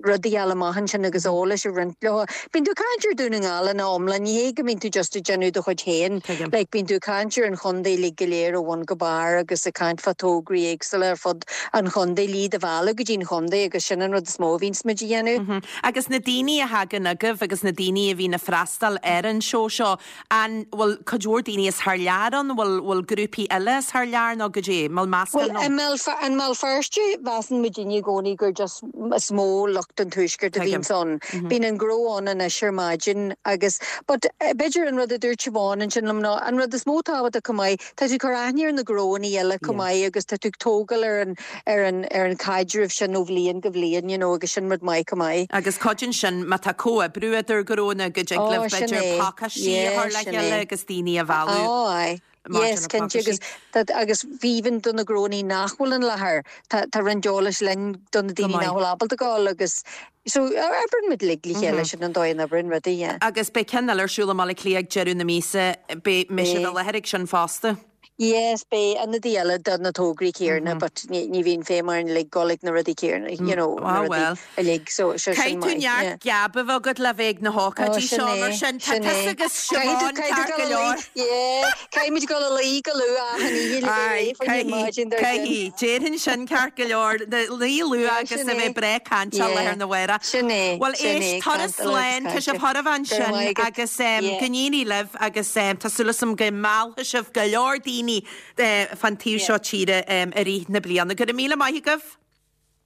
rudaí a fháil amach ansin agus eolas a roinnt leo. Bíonn tú ag caint ar Dún na nGall ina iomlán, ní hé go mbíonn tú just ag déanamh do chuid féin, Tuigim. like bíonn tú ag caint ar an chontae uilig go léir ó bhun go barr agus ag caint fá tograí éagsúla ar fud an chontae, le iad a mhealladh go dtí an chontae agus sin an rud is mó a bhíonns muid a dhéanamh. Agus na daoine a thagann agaibh agus na daoine a bhíonn ag freastal ar an seó seo, an bhfuil cuid mhór daoine as thar lear ann, bhfuil, bhfuil grúpaí eile as thar lear nó goidé, an bhfuil meascán Bhuel, i mBéal, i mBéal Feirste, measann muidinne i gcónaí gur just is mó lucht an tuaiscirt a Tuigim. bhíonns ann. Bíonn an gnó ann anois ar maidin agus, but b'fhéidir an rud a dúirt Siobhán ansin liom ná an rud is mó tábhachtach chomh maith, tá tú ag cur aithne ar na gnóanna eile chomh maith agus tá tú ag tógáil ar an, ar an, ar an chaidreamh sin ó bhliain go bhliain, you know, agus sin rud maith chomh maith. Agus cuidíonn sin má tá comhoibriú idir gnóanna go dtig Ó, libh sin b'fhéidir é. pacáistí a Yeah, chur le sin chéile é. agus daoine a mhealladh Ó, aye. maidir Yes, le cinnte, pacáistí. agus tá, agus even do na gnóanna nach bhfuil in láthair, tá, tá roinnt eolais linn do na Go daoine maith. nach bhfuil ábalta gabháil agus, so, oibreann muid uilig le chéile, sin an dóigh a n-oibreann rudaí, yeah. Agus beidh ceann eile ar siúl i mBaile Átha Cliath ag deireadh na míosa, beidh, mbeidh sibh i Beidh. láthair ag sin fosta? Yes, beidh ionadaí eile do na tograí céarna but ní ní bhíonn feidhm orainn uilig dul ag na rudaí céarna, you know, na Ah rudaí well. uilig, so so sin Caithfidh tú maith, yeah. neart geab a bheith agat le bheith ag na Oh, hócáidí sin seo é, mar sin. Tá sin tusa é. agus Caithfidh tú Siobhán caithfidh tú ceart go dul a leor. luí, yeah, caithfidh muid dul a luí go luath achan oíche le bheith Aye, réidh fá choinne caithfidh, maidin dár gcionn. caithfidh. Déarfainn sin ceart go leor. Luí luath Yeah, agus sin a bheith é. breá cainteach Yeah, lá arna mhárach. sin é, Bhuel sin éist, é, turas caint agus slán, tá cainte. sibh chóir a bheith Go raibh ansin maith agat. agus em, Yeah. go n-éirí libh agus em, tá súil agam go meallfaidh sibh go leor daoine fán taobh seo tíre i rith na bliana. Go raibh míle maith agaibh.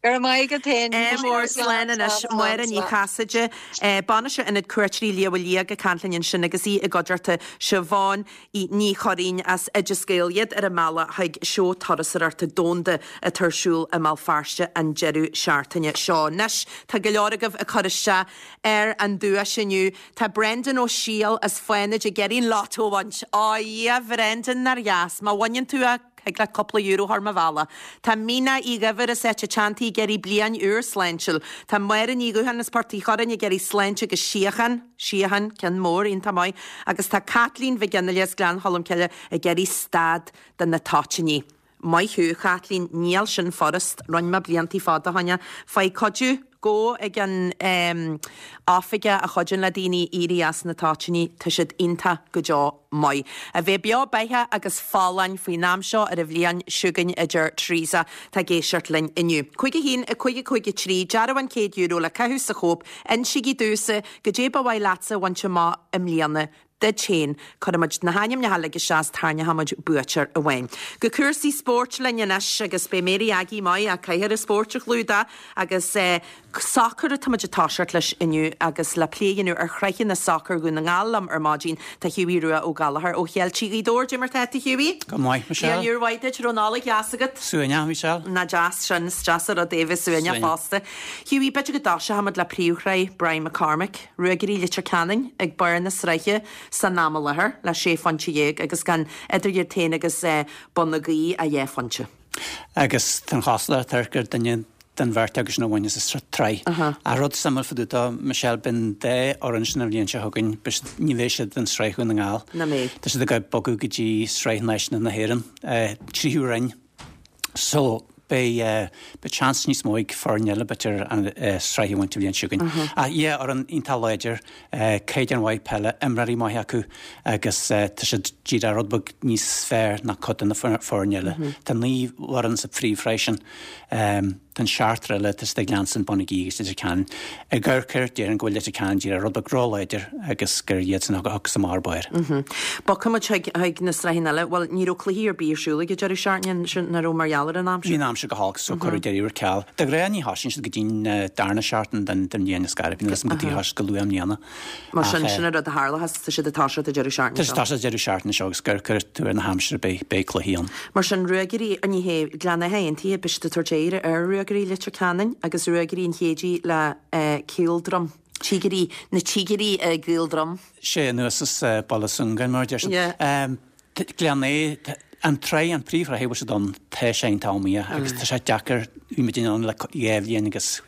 Go raibh maith agat féin. Ádh mór slán anois. Máire Ní Chasaide, Bainisteoir Ionad Cuairteoirí Shliabh Liag ag caint linn ansin agus í i gcuideachta Siobhán Ní Churraoin as Oideas Gael, iad ar a mbealach chuig Seó Turasóireachta Domhanda atá ar siúl i mBéal Feirste an deireadh seachtaine seo. Anois tá go leor agaibh ag cur isteach ar an duais inniu. Tá Brendan Ó Siadhail as Fánaid ag iarraidh an lotto a bhaint. Ó a Dhia, a Bhrendan, nár dheas. Má bhaineann tú é, thig leat cúpla euro a chur mo bhealach. Tá Mina Uí Dhuibhir as Áit a' Teanntaigh ag iarraidh bliain úr sláintiúil. Tá Máire Ní Dhúcháin as Port Uí Churráin ag iarraidh sláinte agus síocháin. Síocháin, ceann mór, iontach maith. Agus tá Caitlín Mhic Fhionnghaile as Gleann Cholm Cille ag iarraidh stad de na toitíní. Maith thú, a Chaitlín, níl sin furast, rinne mé bliantaí fada fá choinne. Faigh cuidiú. Gabh ag an oifigeach a chuidíonn le daoine éirí as na toitíní, tá siad iontach go deo maith. A bheith beo beatha agus folláin faoin am seo ar an bhliain seo chugainn a deir Teresa atá ag éisteacht linn inniu. 5 1 5 5 3, dearbhán €100 le caitheamh sa Chóip, insígí domhsa goidé ba mhaith leatsa a bhaint amach i mbliana duit féin. Cuirfidh muid na hainmneacha uilig isteach is tarraingeoidh muid buaiteoir amháin. Go cúrsaí spóirt linn anois agus beidh Mary Aggie maith a cathaoir an spóirt a chlúdach agus sacar atá muid ag toiseacht leis inniu agus le plé a dhéanamh ar shráitheanna sacair Dhún na nGall liom ar maidin tá Hughie Rua Ó Gallchóir ó Cheiltigh Ghaoth Dobhair. Dé mar tá tú Hughie? Go maith, Michelle. Bliain úr mhaith duit, raibh Nollaig dheas agat? Suaimhneach, Michelle. Nach deas sin, is deas an rud é bheith suaimhneach fosta. Hughie, b'fhéidir go dtoiseoidh muid le príomhshraith Brian McCormick. Ruagairí Leitir Ceanainn ag barr na sraithe san am i láthair le sé phointe dhéag agus gan idir iad féin agus Bun na Gaoithe ach 2 phointe. Agus tá an chosúlacht air gur duine den bheirt acu sin a bhainfeas an tsraith. Ach rud suimiúil fá dtaobh dó, Michelle, beidh an dá fhoireann sin an bhliain seo chugainn, ní bheidh siad in Sraith Dhún na nGall. Nach mbeidh. Tá siad ag bogadh go dtí Sraith Náisiúnta na hÉireann, tríú roinn. So, beidh, beidh seans níos mó ag foirne eile, b'fhéidir, an sraith a bhaint an bhliain seo chugainn. Ach yeah, fhoireann iontach láidir, caighdeán mhaith peile, imreoirí maithe acu agus tá siad díreach rud beag níos fearr ná cuid de na foirne eile. Tá 9 bhfoireann sa phríomhshraith sin. Tá an seachtar eile, tá siad ag leanstan Bun na Gaoithe agus Leitir Ceanainn. Ag amharc air, déarfainn go bhfuil Leitir Ceanainn díreach rud beag róláidir agus gur iadsan a thiocfas amach ar barr. Bogfaidh muid chuig na sraitheanna eile. Bhuel, ní raibh cluichí ar bith ar siúl ag an deireadh seachtaine sin, nach raibh mar gheall ar an aimsir? Bhí an aimsir go holc so cuireadh deireadh ar ceal. De ghnáth ní thosaíonn siad go dtí'n darna seachtain den bhliain is gairid. Níl a fhios agam cad chuige ar thosaigh siad go luath i mbliana. Mar sin, sin an rud a tharlóchas, tá siad ag toiseacht an deireadh seachtaine seo. Tá siad ag toiseacht an deireadh seachtaine seo agus gur cuir tú ar na haimsire beidh, beidh cluichí ann. Mar sin, Ruagairí, ní hea, Gleann Átha Aontaithe, beidh siad ag tabhairt aghaidh ar Ruagairí Leitir Ceanainn agus Ruagairí an Chéidigh le Caoldroim, Tíogair, na Tíogair i gCaoldroim. Sé anuas as Baile Sungáin mar a deir siad. Gleann Átha, an tsraith, an príomhshraith a bhfuil siad ann, tá sé iontach iomaíoch agus tá sé deacair, bhí muid ann le 2 bhliain agus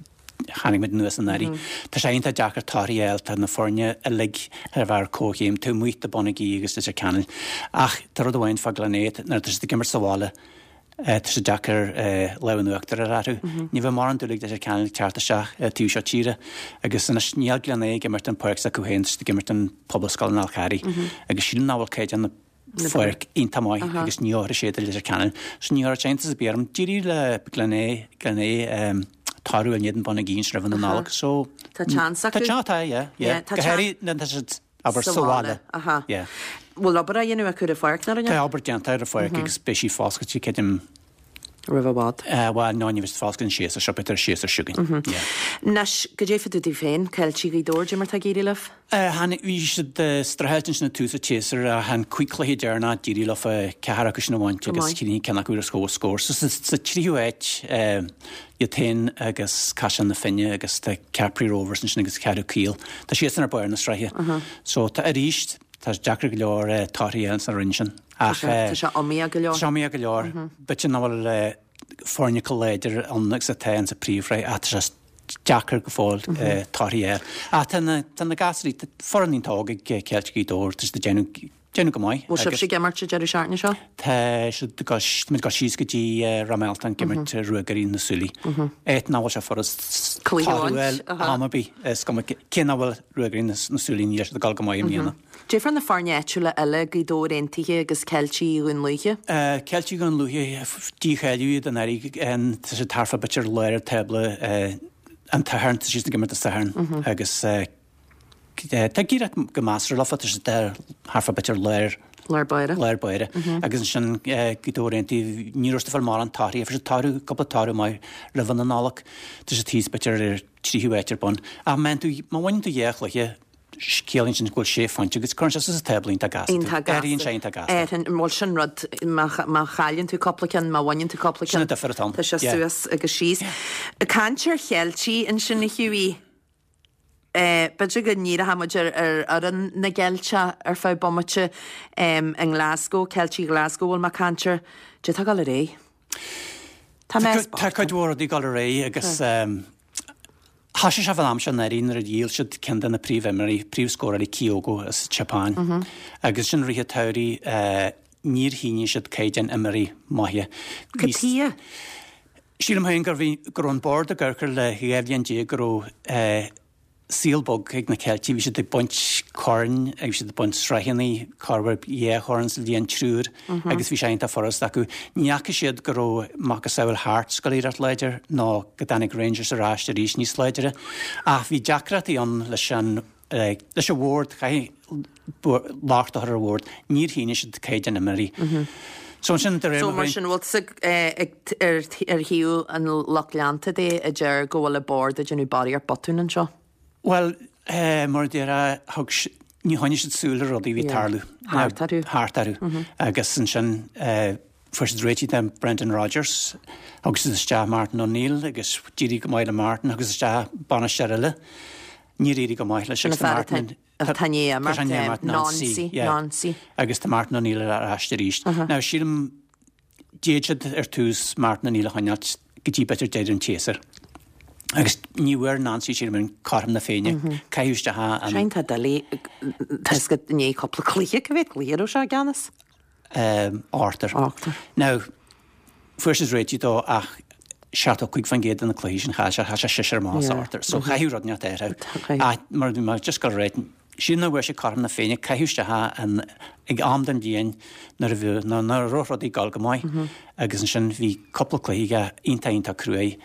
tháinig muid anuas anuraidh. Tá sé iontach deacair torthaí a fháil, tá na foirne uilig ar a bheith ar comhchéim, taobh amuigh de Bun na Gaoithe agus Leitir Ceanainn. Ach tá rud amháin fá Gleann Átha, nuair atá siad ag imirt sa bhaile, tá sé deacair lámh in uachtar a fháil orthu. Ní bheidh mórán dúil ag Leitir Ceanainn ag teacht isteach taobh seo tíre agus anois níl Gleann Átha ag imirt an páirc s'acu féin, tá siad ag imirt an Pobalscoil an Fhál Carraigh agus sílim nach bhfuil caighdeán na pháirc iontach maith agus ní fheilfidh sé do Leitir Ceanainn. So ní chuirfeadh iontas ar bith orm. D'éirigh le Gleann Átha, Gleann Átha toradh in éadan Bun na Gaoithe ansin roimh an Nollaig so Tá seans acu. Tá seans, tá, yeah, yeah. Go háirithe nuair atá siad, abair, sa bhaile. Aha. Yeah. Bhfuil obair á dhéanamh acu ar an pháirc, nó? Tá obair déanta ar an pháirc agus beidh sí foscailte, creidim. Roimh i bhfad. Bhuel, no, ní bheidh sí foscailte an séasúr seo, b'fhéidir an séasúr seo chugainn. Yeah. Anois, goidé fá dtaobh daoibh féin, Ceiltigh Ghaoth Dobhair, dé mar tá ag éirí libh? Tháinig, bhí siad streachailt ansin ag tús an tséasúir ach an cúig chluiche deireanach d'éirigh leofa ceathair acu sin a bhaint agus chríochnaigh ceann acu ar comhscór. So sa tríú háit iad féin agus Caisleán na Finne agus tá Cappry Rovers ansin agus Ceathrú Caol. Tá siadsan ar barr na sraithe. So tá arís, tá sé deacair go leor torthaí a fháil sa roinn sin. Ach tá sé iomaíoch go leor. Tá sé iomaíoch go leor. B'fhéidir nach bhfuil foirne chomh láidir ann agus atá insa phríomhshraith ach tá sé deacair go fóill torthaí a fháil. Ach tá na tá na gasúirí, tá foireann iontach óg ag Ceiltigh Ghaoth Dobhair, tá siad ag déanamh déanamh go maith. Bhfuil sibhse ag imirt an deireadh seachtaine seo? Tá siad ag dul, tá muid ag dul síos go dtí Ráth Mealtain ag imirt Ruagairí na Súilí. Áit nach bhfuil sé furast Cluiche a toradh a bhaint, fháil am ar bith, is cuma cé nach bhfuil Ruagairí na Súilí níl siad ag dul go maith i mbliana. Dé fá na foirne áitiúla eile, Gaoth Dobhair Aontaithe agus Ceiltigh Dhún Lúiche. Ceiltigh Dhún Lúiche, dícháiliú iad anuraidh, tá siad thart fá b'fhéidir lár an tábla an tSathairn, tá siad ag imirt an Satharn agus tá ag éirí go measartha leofa, tá siad thart fá b'fhéidir lár Lár báire. Lár báire. Agus ansin Gaoth Dobhair Aontaithe, ní raibh siad ag fáil mórán torthaí, fuair siad toradh, cúpla toradh maith roimh an Nollaig, tá siad thíos b'fhéidir ar tríú háit ar bun. Ach má bhaineann tú dhá chluiche, Ciallaíonn sin go bhfuil sé phointe agat. Cuireann sé suas an tábla iontach gasta. Iontach gasta. Éiríonn sé iontach gasta. Éiríonn, bhuel sin rud, má, má chailleann tú cúpla ceann, má bhaineann tú cúpla ceann. Sin an difear atá ann. Tá sé suas agus síos. Caint ar Cheiltigh ansin a Hughie. B'fhéidir go ndíreoidh muid ar, ar fhoireann na gCeilteach ar feadh bomaite i nGlasgow, Ceiltigh Ghlasgow a bhfuil mé ag caint air. Dé tá ag dul ar aghaidh. Tá mé Tá cuid mhór rudaí ag dul ar aghaidh agus Thosaigh sé fán am seo anuraidh nuair a dhíol siad ceann de na príomhimreoirí, príomhscóráirí Kyogo as an tSeapáin. Agus ansin i rith an tsamhraidh níor shínigh siad caighdeán imreoirí maithe. Cad chuige? Sílim féin gur bhí, go raibh an bord ag amharc air le 12 bhliain go raibh saol bog ag na Ceiltigh, bhí siad ag baint coirn agus bhí siad ag baint sraitheanna, corruair dhá chorn sa bhliain, triúr, agus bhí sé iontach furasta acu. Ní fhaca siad go raibh macasamhail Hearts ag dul éireacht láidir nó go dtáinig Rangers ar ais arís níos láidre. Ach bhí deacrachtaí ann leis an leis an bhord, caithfidh locht a chur ar an bhord, níor shínigh siad caighdeán imreoirí. So ansin de réir So mar sin bhfuil tusa ar thaobh an lucht leanta de a deir go bhfuil an bord ag déanamh barraíocht botún anseo? Bhuel, mar a déarfá, thug, ní choinnigh siad súil ar rudaí a bhí ag tarlú. Thart orthu. Thart orthu. Agus ansin fuair siad réitithe de Brendan Rodgers, thug siad isteach Martin O'Neill agus d'éirigh go maith le Martin, thug siad isteach bainisteoir eile. Níor éirigh go maith leis agus tá Martin Tá i ndiaidh imeacht, Nancy, Nancy. Agus tá Martin O'Neill ar ais arís. Now sílim, d'fhéad siad ar tús Martin O'Neill a choinneáilt go dtí b'fhéidir deireadh an tséasúir. Agus ní bhfuair Nancy sílim an cothrom na Féinne. Caitheadh isteach an. Sin tá doiligh, tá fhios agat i ndiaidh cúpla cluiche, cá mhéad cluiche a raibh sé i gceannas? Ochtar. Ochtar. Now, fuair siad réitithe dó ach 75% de na cluichí sin chaill sé, chaill sé seisear amach as ochtar. So chaithfeadh rud inteacht a athrú. Ach mar bhí mé just ag rá, sílim nach bhfuair sé cothrom na Féinne, caitheadh isteach é an, ag am den bhliain nuair a bhí, nuair nach raibh rudaí ag dul go maith. Agus ansin bhí cúpla cluiche aige iontach, iontach cruaidh.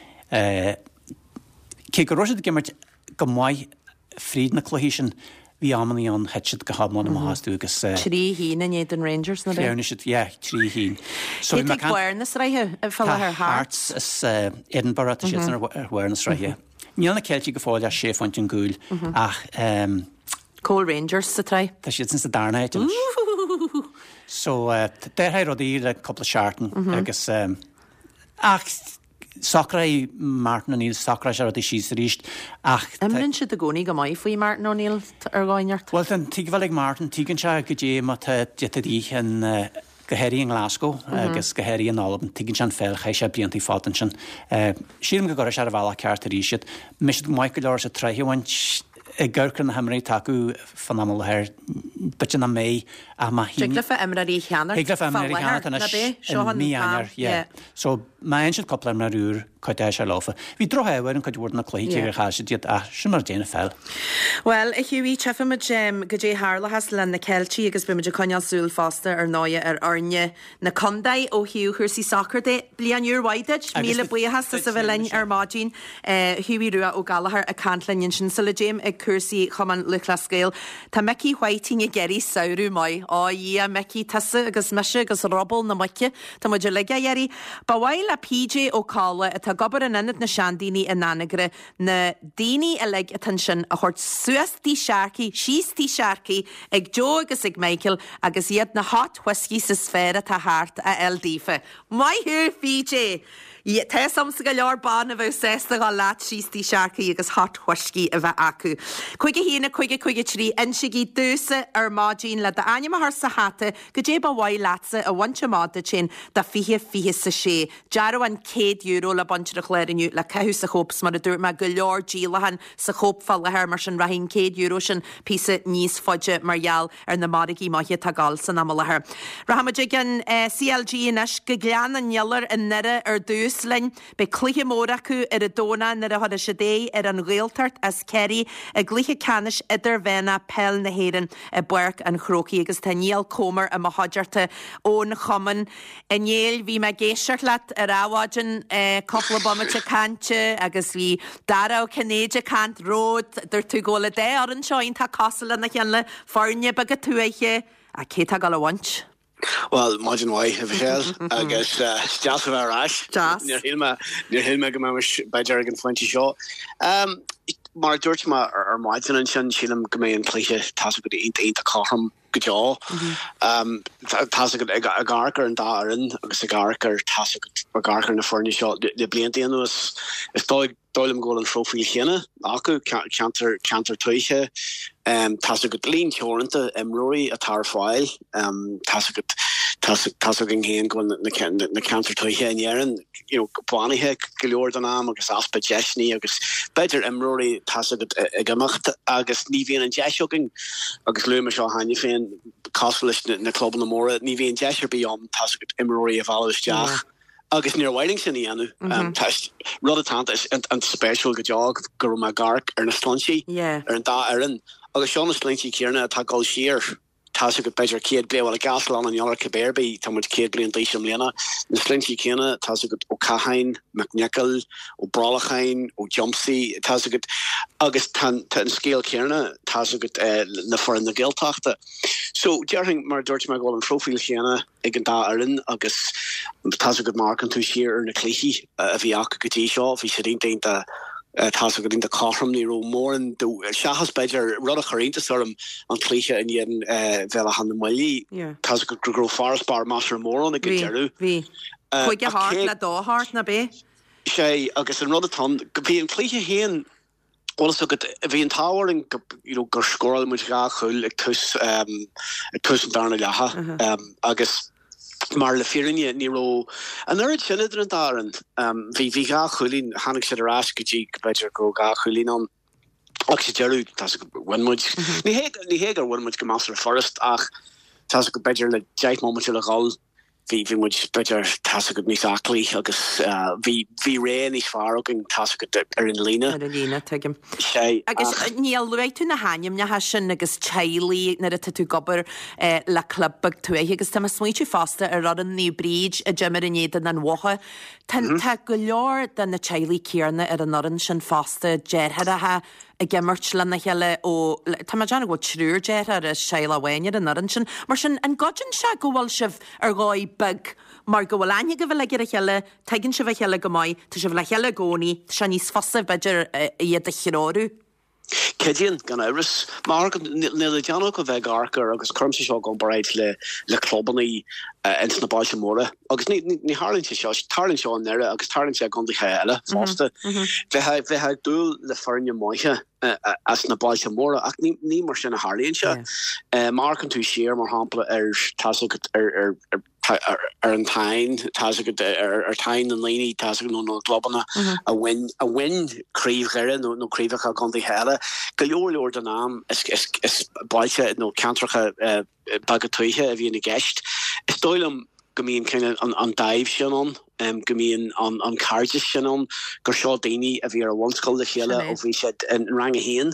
Cé go raibh siad ag imirt go maith fríd na cluichí sin, bhí amannaí ann thit siad go hiomlán amach astu agus. 3 haon in éadan Rangers nó b'é? Shleamhnaigh siad, yeah, 3 haon. So Cé atá ag barr na sraithe fá láthair? Hearts is Edinburgh, tá siadsan ar bharr na sraithe. Níl na Ceiltigh go fóill ach sé phointe chun cúil ach. Cá bhfuil Rangers sa tsraith? Tá siadsan sa darna háit anois. So d'athraigh rudaí le cúpla seachtain agus ach Socróidh Martin O'Neill, socróidh sé rudaí síos arís ach. Imríonn siad i gcónaí go maith faoi Martin O'Neill ar dhóigh inteacht. Bhuel, tá an tuigbheáil ag Martin, tuigeann sé goidé mar tá de dhíth in, go háirithe i nGlasgow agus go háirithe in Albain, tuigeann sé an pheil, chaith sé blianta fada ansin. Sílim go gcuirfidh sé ar an bhealach ceart arís iad. Mbeidh siad maith go leor sa tsraith a bhaint, ag amharc ar na himreoirí atá acu fán am i láthair, b'fhéidir nach mbeidh ach má Thig leofa imreoirí a cheannacht Thig leofa imreoirí a cheannacht anois i mí Eanáir, yeah. So má fhaigheann siad cúpla imreoir úr, cuideoidh sé leofa. Bhí droch-ádh ar an cuid mhór de na cluichí cé gur chaill siad iad ach sin mar a dtéann an pheil. Bhuel, a Hughie, tchífimid goidé tharlóchas le na Ceiltigh agus beimid ag coinneáil súil fosta ar ndóighe ar fhoirne na contae ó thaobh chúrsaí sacair de. Bliain úr mhaith duit. Míle buíochas as a bheith linn ar maidin. Hughie Rua Ó Gallchóir ag caint linn ansin. Sula dtéim ag cúrsaí Chumann Lúthchleas Gael, tá Micí Whiting ag iarraidh samhradh maith. Ó a Dhia, Micí, tusa agus mise agus ruball na muice, tá muid uilig á iarraidh. Ba mhaith le PJ Ó Colla, atá ag obair in Ionad na Seandaoine in Anagaire, na daoine uilig atá ansin a thabhairt suas Tigh Sharkey, síos Tigh Sharkey ag Joe agus ag Michael agus iad na hot whiskies is fearr atá thart a fháil daofa. Maith thú, PJ! Tá 'fhios a'msa go leor ban a bheadh sásta dhul leat síos Tigh Sharkey agus hot whiskey a bheith acu. 5 1 5 5 3 Insígí domhsa ar maidin le d'ainm a chur sa hata goidé ba mhaith leatsa a bhaint amach duit féin do 20 26. Dearbhán €100 le baint ar an chlár inniu le caitheamh sa Chóip 's mar a dúirt mé go leor díolachán sa Chóip fá láthair mar sin rachaidh an €100 sin píosa níos faide mar gheall ar na margaí maithe atá ag dul san am i láthair. Rachaimid ag an CLG anois go Gleann an Iolair i nDoire ar dtús linn. Beidh cluiche mór acu ar an Domhnach nuair a thabharfaidh siad aghaidh ar an Ghaeltacht as Ciarraí i gcluiche ceannais idirmheánach peil na hÉireann i bPáirc an Chrócaigh agus tá Niall Comer i mo chuideachta ón chumann. A Néill, bhí mé ag éisteacht leat ar adhmhaidin, cúpla bomaite cainte agus bhí Dara Ó Cinnéide ag caint romhat. Dúirt tú go bhfuil an dá fhoireann seo iontach cosúil lena chéile, foirne beaga tuaithe, ach cé atá ag dul a bhaint? Bhuel, maidin mhaith, a Mhichelle, agus is deas a bheith ar ais. Deas. Níor shíl mé, níor shíl mé go mbeimis b'fhéidir ag an phointe seo. Mar a dúirt mé ar maidin ansin, sílim go mbeidh an cluiche, tá's agat, iontach, iontach cothrom. go deo. Tá's agat, ag amharc ar an dá fhoireann agus ag amharc ar, tá's agat, ag amharc ar na foirne seo le blianta anuas, is dóigh liom go bhfuil an phróifíl chéanna acu, ceantar, ceantar tuaithe, tá's agat, líon teoranta imreoirí atá ar fáil, tá's agat, tá's againn féin go bhfuil na ceantair tuaithe in Éirinn, you know, bánaithe go leor den am agus easpa deiseanna agus b'fhéidir imreoirí, tá's agat, ag imeacht agus ní bhíonn an deis againn agus luaigh mé seo cheana féin, cosúil leis na clubanna móra, ní bhíonn deis ar bith ann, tá's agat, imreoirí a mhealladh isteach. Agus níor mhaith linn sin a dhéanamh. Tá rud atá an-spéisiúil go deo go raibh mé ag amharc ar na sloinntí ar an dá fhoireann agus seo na sloinntí céanna atá ag dul siar, tá's agat, b'fhéidir 100 bliain, bhuel i gCaisleán an Iolair cibé ar bith, tá muid 100 bliain d'aois i mbliana, na sloinntí céanna, tá's agat, Ó Catháin, Mac Niocaill, Ó Brollacháin, Ó Diomsaigh, tá's agat, agus tá an scéal céanna, tá's agat, le foireann na Gaeltachta. So, déarfainn, mar a dúirt mé, go bhfuil an phróifíl chéanna ag an dá fhoireann agus tá's agat má amharcann tú siar ar na cluichí a bhí acu go dtí seo, bhí siad iontach iontach tá's agat iontach cothrom, ní raibh mórán de, seachas b'fhéidir rud a chuir iontas orm an cluiche in éadan Bhéal Átha na mBuillí, tá's agat go raibh farasbarr measartha mór ann ag an deireadh. Bhí, bhí. 5-8 le 2-8, ná b'é? Sea, agus an rud atá ann, bhí an cluiche féin, Bhfuil fhios agat, bhí an t-ádh orainn go, you know, gur scóráil muid dhá chúl ag tús, ag tús an darna leatha agus mar le fírinne ní raibh an oiread sin idir an dá fhoireann. Bhí, bhí dhá chúilín, tháinig siad ar ais go dtí go b'fhéidir go raibh dhá chúilín ann ach sa deireadh, tá's agat, bhain muid, ní hé, ní hé gur bhain muid go measartha furast ach tá's agat, b'fhéidir le deich mbomaite le dhul, bhí, bhí muid, b'fhéidir, tá's agat, níos aclaí agus bhí, bhí ré níos fearr againn, tá's agat, ar an líne. Ar an líne, tuigim. Sea, Agus ach. Niall, luaigh tú na hainmneacha sin agus teaghlaigh nuair atá tú ag obair le club beag tuaithe agus tá mé ag smaointiú fosta ar fhoireann Naomh Bríd a d'imir in éadan an Bhotha. Tá, tá go leor de na teaghlaigh céanna ar an fhoireann sin fosta, deartháireacha, ag imirt lena chéile ó, tá mé ag déanamh go bhfuil triúr deartháir as teaghlach amháin ar an fhoireann sin. Mar sin, an gcuidíonn sé go bhfuil sibh ar dhóigh beag mar go bhfuil aithne agaibh uilig ar a chéile, tuigeann sibh a chéile go maith, tá sibh le chéile i gcónaí, tá sé níos fusa, b'fhéidir, iad a threorú? Cuidíonn, gan amhras. Mar níl le déanamh ach a bheith ag amharc ar, agus cuirimse seo i gcomparáid le le clubanna ins na bailte móra, Agus ní tharlaíonn sé seo, tarlaíonn seo i nDoire agus tarlaíonn sé i gcontaetha eile fosta. Bheifeá ag dúil le foirne maithe as na bailte móra ach ní mar sin a tharlaíonn sé. Má amharcann tú siar, mar shampla, ar, tá's agat, ar an Táin, tá's agat, ar Táin na ndaoine, tá's agat, nó na gclubanna a bhain, a bhain craobh Dhoire nó craobhacha contaetha eile, go leor leor den am is bailte nó ceantracha beaga tuaithe a bhíonn i gceist. Is dóigh liom go mbíonn cineál an dáimh sin ann, go mbíonn an cairdeas sin ann, gur seo daoine a bhí ar an bhunscoil le chéile ó bhí siad in rang a haon,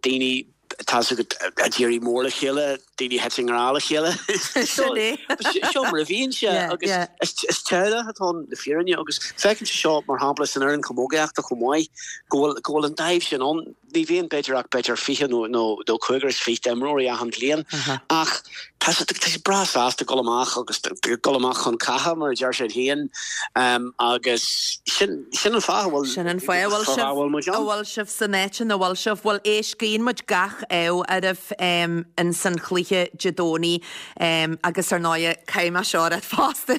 daoine, tá's agat, a d'éirigh mór le chéile, daoine a thit i ngrá le chéile. Seo mar a bhíonn sé agus is teaghlach atá ann le fírinne agus feicimse seo mar shampla san fhoireann chamógaíochta chomh maith, go bhfuil an dáimh sin ann. Ní bhíonn b'fhéidir ach b'fhéidir 20 nó nó cúigear is fiche d'imreoirí achan bhliain ach tá siad tá siad breá sásta dul amach agus dul amach chun catha mar a deir siad féin agus sin sin an fáth a bhfuil Sin an fáth a bhfuil sibh a bhfuil sibh san áit ina bhfuil sibh. Bhuel éist, guíonn muid gach ádh oraibh in san chluiche Dé Domhnaigh. Agus ar ndóighe, caithfidh mé seo a rá fosta,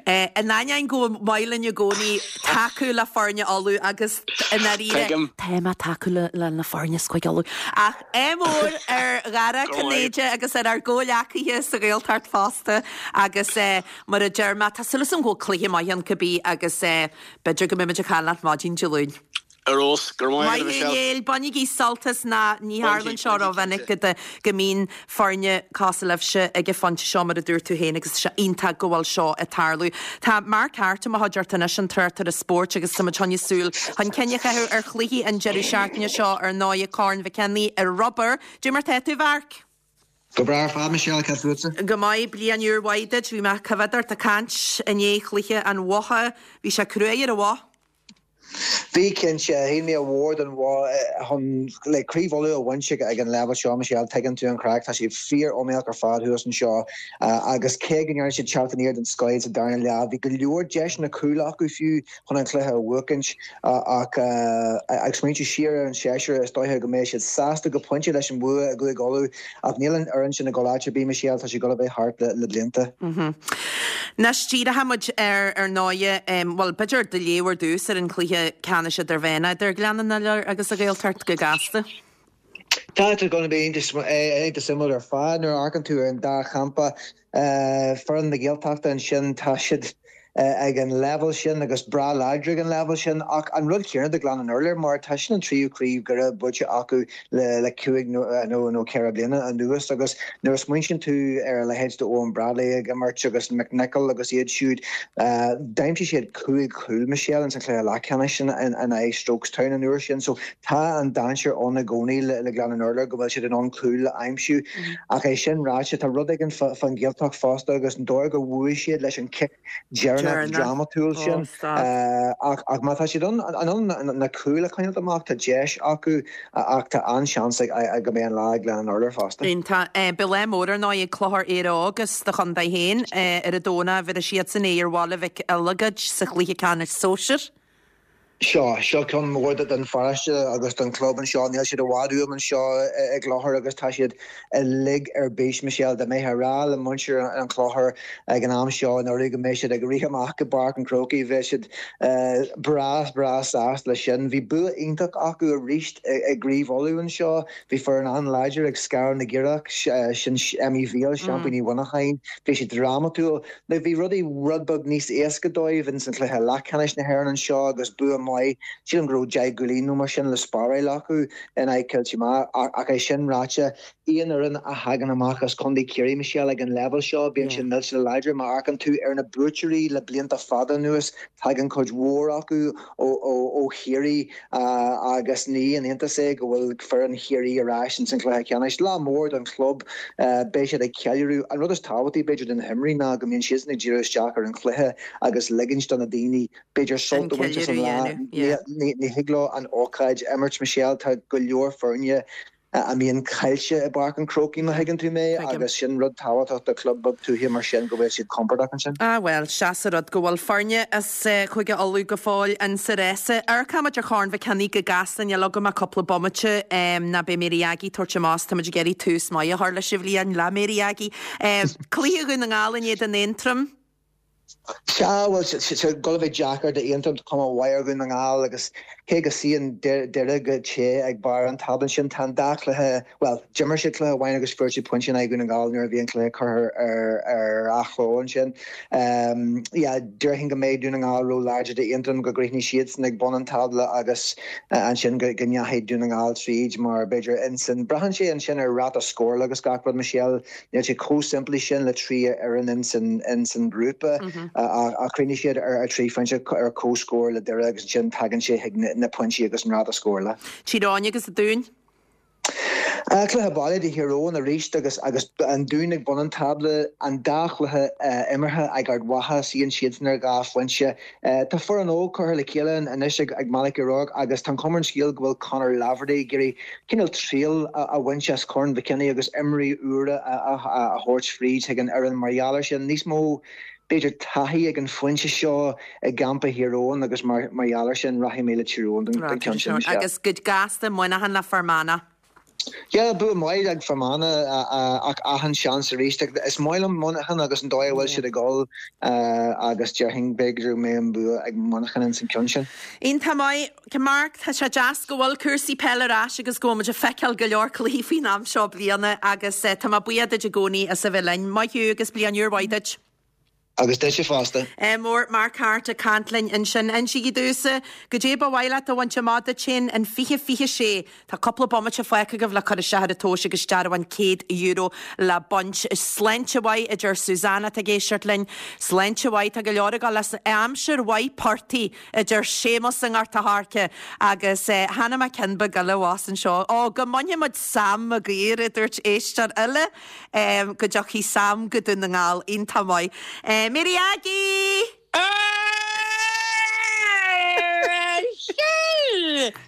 in ainneoin go maith linn i gcónaí tacú le foirne Uladh agus i ndáiríre, tá mé ag tacú le na foirne as Cúige Uladh, ach ádh mór ar Dhara Cinnéide agus ar ár gcomhghleacaithe sa Ghaeltacht fosta agus mar a deir mé, tá súil agam go bhfuil cluiche maith ann cibé agus b'fhéidir go mbeimid ag caint leat maidin Dé Luain. Ar fheabhas, go raibh maith agat a Maith thú Michelle. Néill, bainigí sult as ná ní tharlaíonn seo rómhinic go go mbíonn foirne cosúil libhse ag an phointe seo mar a dúirt tú féin agus tá sé iontach go bhfuil seo ag tarlú. Tá Mark Harte i mo chuideachta anois, an tráchtaire spóirt agus tá muid chun súil chun cinn a chaitheamh ar chluichí an deireadh seachtaine seo ar ndóigh Corn Mhic Éanaigh i Rubar. Dé mar tá tú, a Mharc? Go breá ar fad, Michelle, cad fútsa? Go maith, bliain úr mhaith duit. Bhí mé ag coimhéad ort ag caint i ndiaidh chluiche an Bhotha. Bhí sé cruaidh ar an Bhoth. Bhí, cinnte. Shíl mé ar mhór don Bhoth chun le Craobh Uladh a bhaint ag an leibhéal seo, Michelle, tuigeann tú an chraic, tá siad fíor-iomaíoch ar fad thuas anseo agus cé go ndearna siad teacht aniar den scoith sa darna leath, bhí go leor deiseanna cúil acu fiú chun an cluiche a bhuachaint ach ag smaointiú siar ar an séasúr, is dóiche go mbeidh siad sásta go pointe leis an bhua i gCúige Uladh ach níl an fhoireann sin ag dul áit ar bith, Michelle, tá siad ag dul a bheith thart le blianta. Anois, díreoidh muid ar, ar ndóighe, bhuel, b'fhéidir do léamh ar dtús ar an chluiche ceannais idirmheánach idir Gleann an Iolair agus an Ghaeltacht go gasta. Tá sé going to be iontach suimiúil ar fad nuair a amharcann tú ar an dá champa. Foireann na Gaeltachta ansin, tá siad. ag an leibhéal sin agus breá láidir ag an leibhéal sin ach an rud céanna do Ghleann an Urláir mar tá sin an tríú craobh Dhoire buaite acu le le cúig nó nó ceithre bliana anuas agus nuair a smaointíonn tú ar a leithéid de Eoin Bradley ag imirt agus McNicholl agus iad siúd d'aimsigh siad cúig chúl Michelle ins an chluiche leathcheannais sin in aghaidh Strokestown an uair sin so tá an dainséar ann i gcónaí le le Gleann an Urláir go bhfuil siad in ann cúl a aimsiú ach é sin ráite tá rud éigin fán Ghaeltacht fosta agus an dóigh gur bhuaigh siad leis an cic deireanach drámatúil sin. Ach má tá siad in ann na cúil a choinneáilt amach, tá deis acu ach tá an-seans go mbeidh an lá ag Gleann an Urláir fosta. Iontach. Beidh lá mór ar ndóigh ag Clochar Éire Óg as do chontae féin ar an Domhnach. Bhéarfaidh siadsan aghaidh ar Bhaile Mhic Eileagaid sa chluiche ceannais sóisir. Seo, seo ceann mór don pharóiste agus don chlub anseo. Níl siad i bhfad uaim anseo i gClochar agus tá siad uilig ar bís, Michelle. Dá mbeifeá ag rá le muintir an Chlochair ag an am seo anuraidh go mbeidh siad ag rith amach go Páirc an Chrócaigh, bheadh siad breá, breá sásta leis sin. Bhí bua iontach acu arís i gCraobh Uladh anseo. Bhí foireann an-láidir ag Scarrath na gCaorach, sin Emmy Bhéal, seaimpíní Mhuineacháin. Bhí siad drámatúil. Now bhí rudaí rud beag níos éasca dóibh ins an chluiche leathcheannais na hÉireann anseo agus bua maith, sílim go raibh 10 gcúilín nó mar sin le spáráil acu in aghaidh Cill Tíomá ach é sin ráite, aon fhoireann a thagann amach as Contae Chiarraí, Michelle, ag an leibhéal seo, bíonn siad millteanach láidir. Má amharcann tú ar na buaiteoirí le blianta fada anuas, tagann cuid mhór acu ó Chiarraí. Agus ní haon iontas é go bhfuil foireann Chiarraí ar ais ins an chluiche ceannais. Lá mór don chlub. Beidh siad ag ceiliúradh. An rud is tábhachtaí, b'fhéidir, do na himreoirí ná go mbíonn siadsan ag díriú isteach ar an chluiche agus ligint do na daoine, b'fhéidir, sult a bhaint as an lá. Ní thig leo an ócáid a imirt, Michelle. Tá go leor foirne a mbíonn caillte i bPáirc an Chrócaigh, má thuigeann tú mé, agus sin rud tábhachtach do chlub beag tuaithe mar sin, go bhfuil siad compordach ansin. Ah bhuel, sea sa rud go bhfuil foirne as Chúige Uladh go fóill in sa rása. Amharcfaimid ar Chorn Mhic Cionnaith go gasta, níl agam ach cúpla bomaite, ná beidh Mary Aggie ag tabhairt amach, táimid ag iarraidh tús maith a chur leis an bhliain le Mary Aggie. Cluiche Dhún na nGall in éadan Aontroim. Sea, bhuel, tá sé ag dul a bheith deacair d'Aontroim, tá cuma mhaith ar Dhún na nGall agus cé go suíonn Doire go te ag barr an tábla ansin, tá an dá chluiche, bhuel, d'imir siad cluiche amháin agus fuair siad pointe in aghaidh Dhún na nGall nuair a bhí an cluiche curtha ar athló ansin. Yeah, déarfainn go mbeidh Dún na nGall ró-láidir d'Aontroim, go gcríochnóidh siadsan ag bun an tábla agus ansin go ndeachaigh Dún na nGall tríd mar b'fhéidir ansin, braitheann sé ansin ar ráta scórála agus gach rud, Michelle. Níl sé chomh simplí sin le 3 fhoireann ins an ghrúpa ach chríochnaigh siad ar 3 phointe ar comhscór le Doire agus ansin tagann sé chuig na pointí agus an ráta scórála. Tír Eoghain agus an Dún. Cluiche baile do Thír Eoghain arís agus agus an Dún ag bun an tábla. An dá chluiche imeartha ag Ard Mhacha, suíonn siadsan ar 2 phointe. Tá foireann óg curtha le chéile anois ag Malachy O'Rourke agus tá an chuma ar an scéal go bhfuil Conor Laverty ag iarraidh cineál triail a bhaint as Corn Mhic Cionnaith agus imreoirí úra a thabhairt fríd chuig an fhoireann mar gheall air sin. Níos mó, b'fhéidir, taithí ag an phointe seo i gcampa Thír Eoghain agus mar gheall air sin rachaidh mé le Tír Eoghain don cheann sin. Agus go gasta, Muineachán le Fear Manach. Yeah, bua maith ag Fear Manach ach achan seans arís. Is maith liom Muineachán agus an dóigh a bhfuil siad ag dul agus déarfainn b'fhéidir go mbeidh an bua ag Muineachán ins an ceann sin. Iontach maith. Mark, tá sé deas go bhfuil cúrsaí peile ar ais agus go bhfuil muid ag feiceáil go leor cluichí faoin am seo bliana agus tá mé buíoch duit i gcónaí as a bheith linn. Maith thú agus bliain úr mhaith duit. Agus duitse fosta. Ádh mór, Mark Harte ag caint linn ansin. Insígí domhsa, goidé ba mhaith leat a bhaint amach duit féin in 2026? Tá cúpla bomaite fágtha agaibh le cur isteach ar an tomhas agus dearbhán €100 le baint. Sláinte mhaith, a deir Susanna atá ag éisteacht linn. Sláinte mhaith, tá go leor ag dul as aimsir mhaith portaigh, a deir Séamus i nGort a' Choirce. Agus chonaic mé ceann beag eile abhus anseo. Ó, go mbainfidh muid Sam Maguire, a dúirt éisteoir eile. Go dtiocfaidh Sam go Dún na nGall. Iontach maith. Mary Aggie!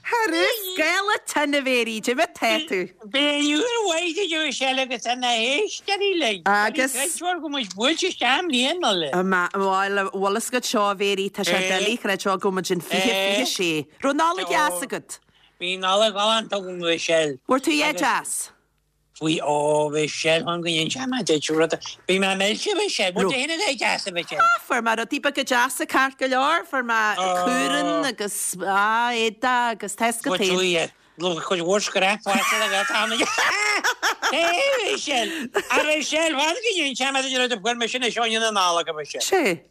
Thar scála tinn a Mhéirí, cad é mar tá tú? Bliain úr mhaith duit a Mhichelle agus do na héisteoirí uilig. Agus. Creidfear go muid buailte isteach i mbliain eile. Bhuel, bhfuil fhios agat seo a Mhéirí, tá sé doiligh creidbheáil go muid in 2026. Raibh Nollaig dheas agat? Bhí Nollaig ghalánta agam a Mhichelle. Bhfuair tú a dhath deas? Bhí, ó, bhí sé chun go ndéanfaidh mé duit rud, bhí mé millte, bhí sé, bhfuil tú féin a bheith deas, a Mhichelle? Ah, fuair mé rudaí beaga deasa ceart go leor, fuair mé cuaran agus, ah, éadaí agus tá fhios agat féin. Bhfuil tú, yeah, cuid mhór scrap faighte agat, tá mé, Hé, a Mhichelle, a Mhichelle, fan go ndéanfaidh mé duit rud a fuair mé sin i Seoine na Nollag, a Mhichelle. Sé.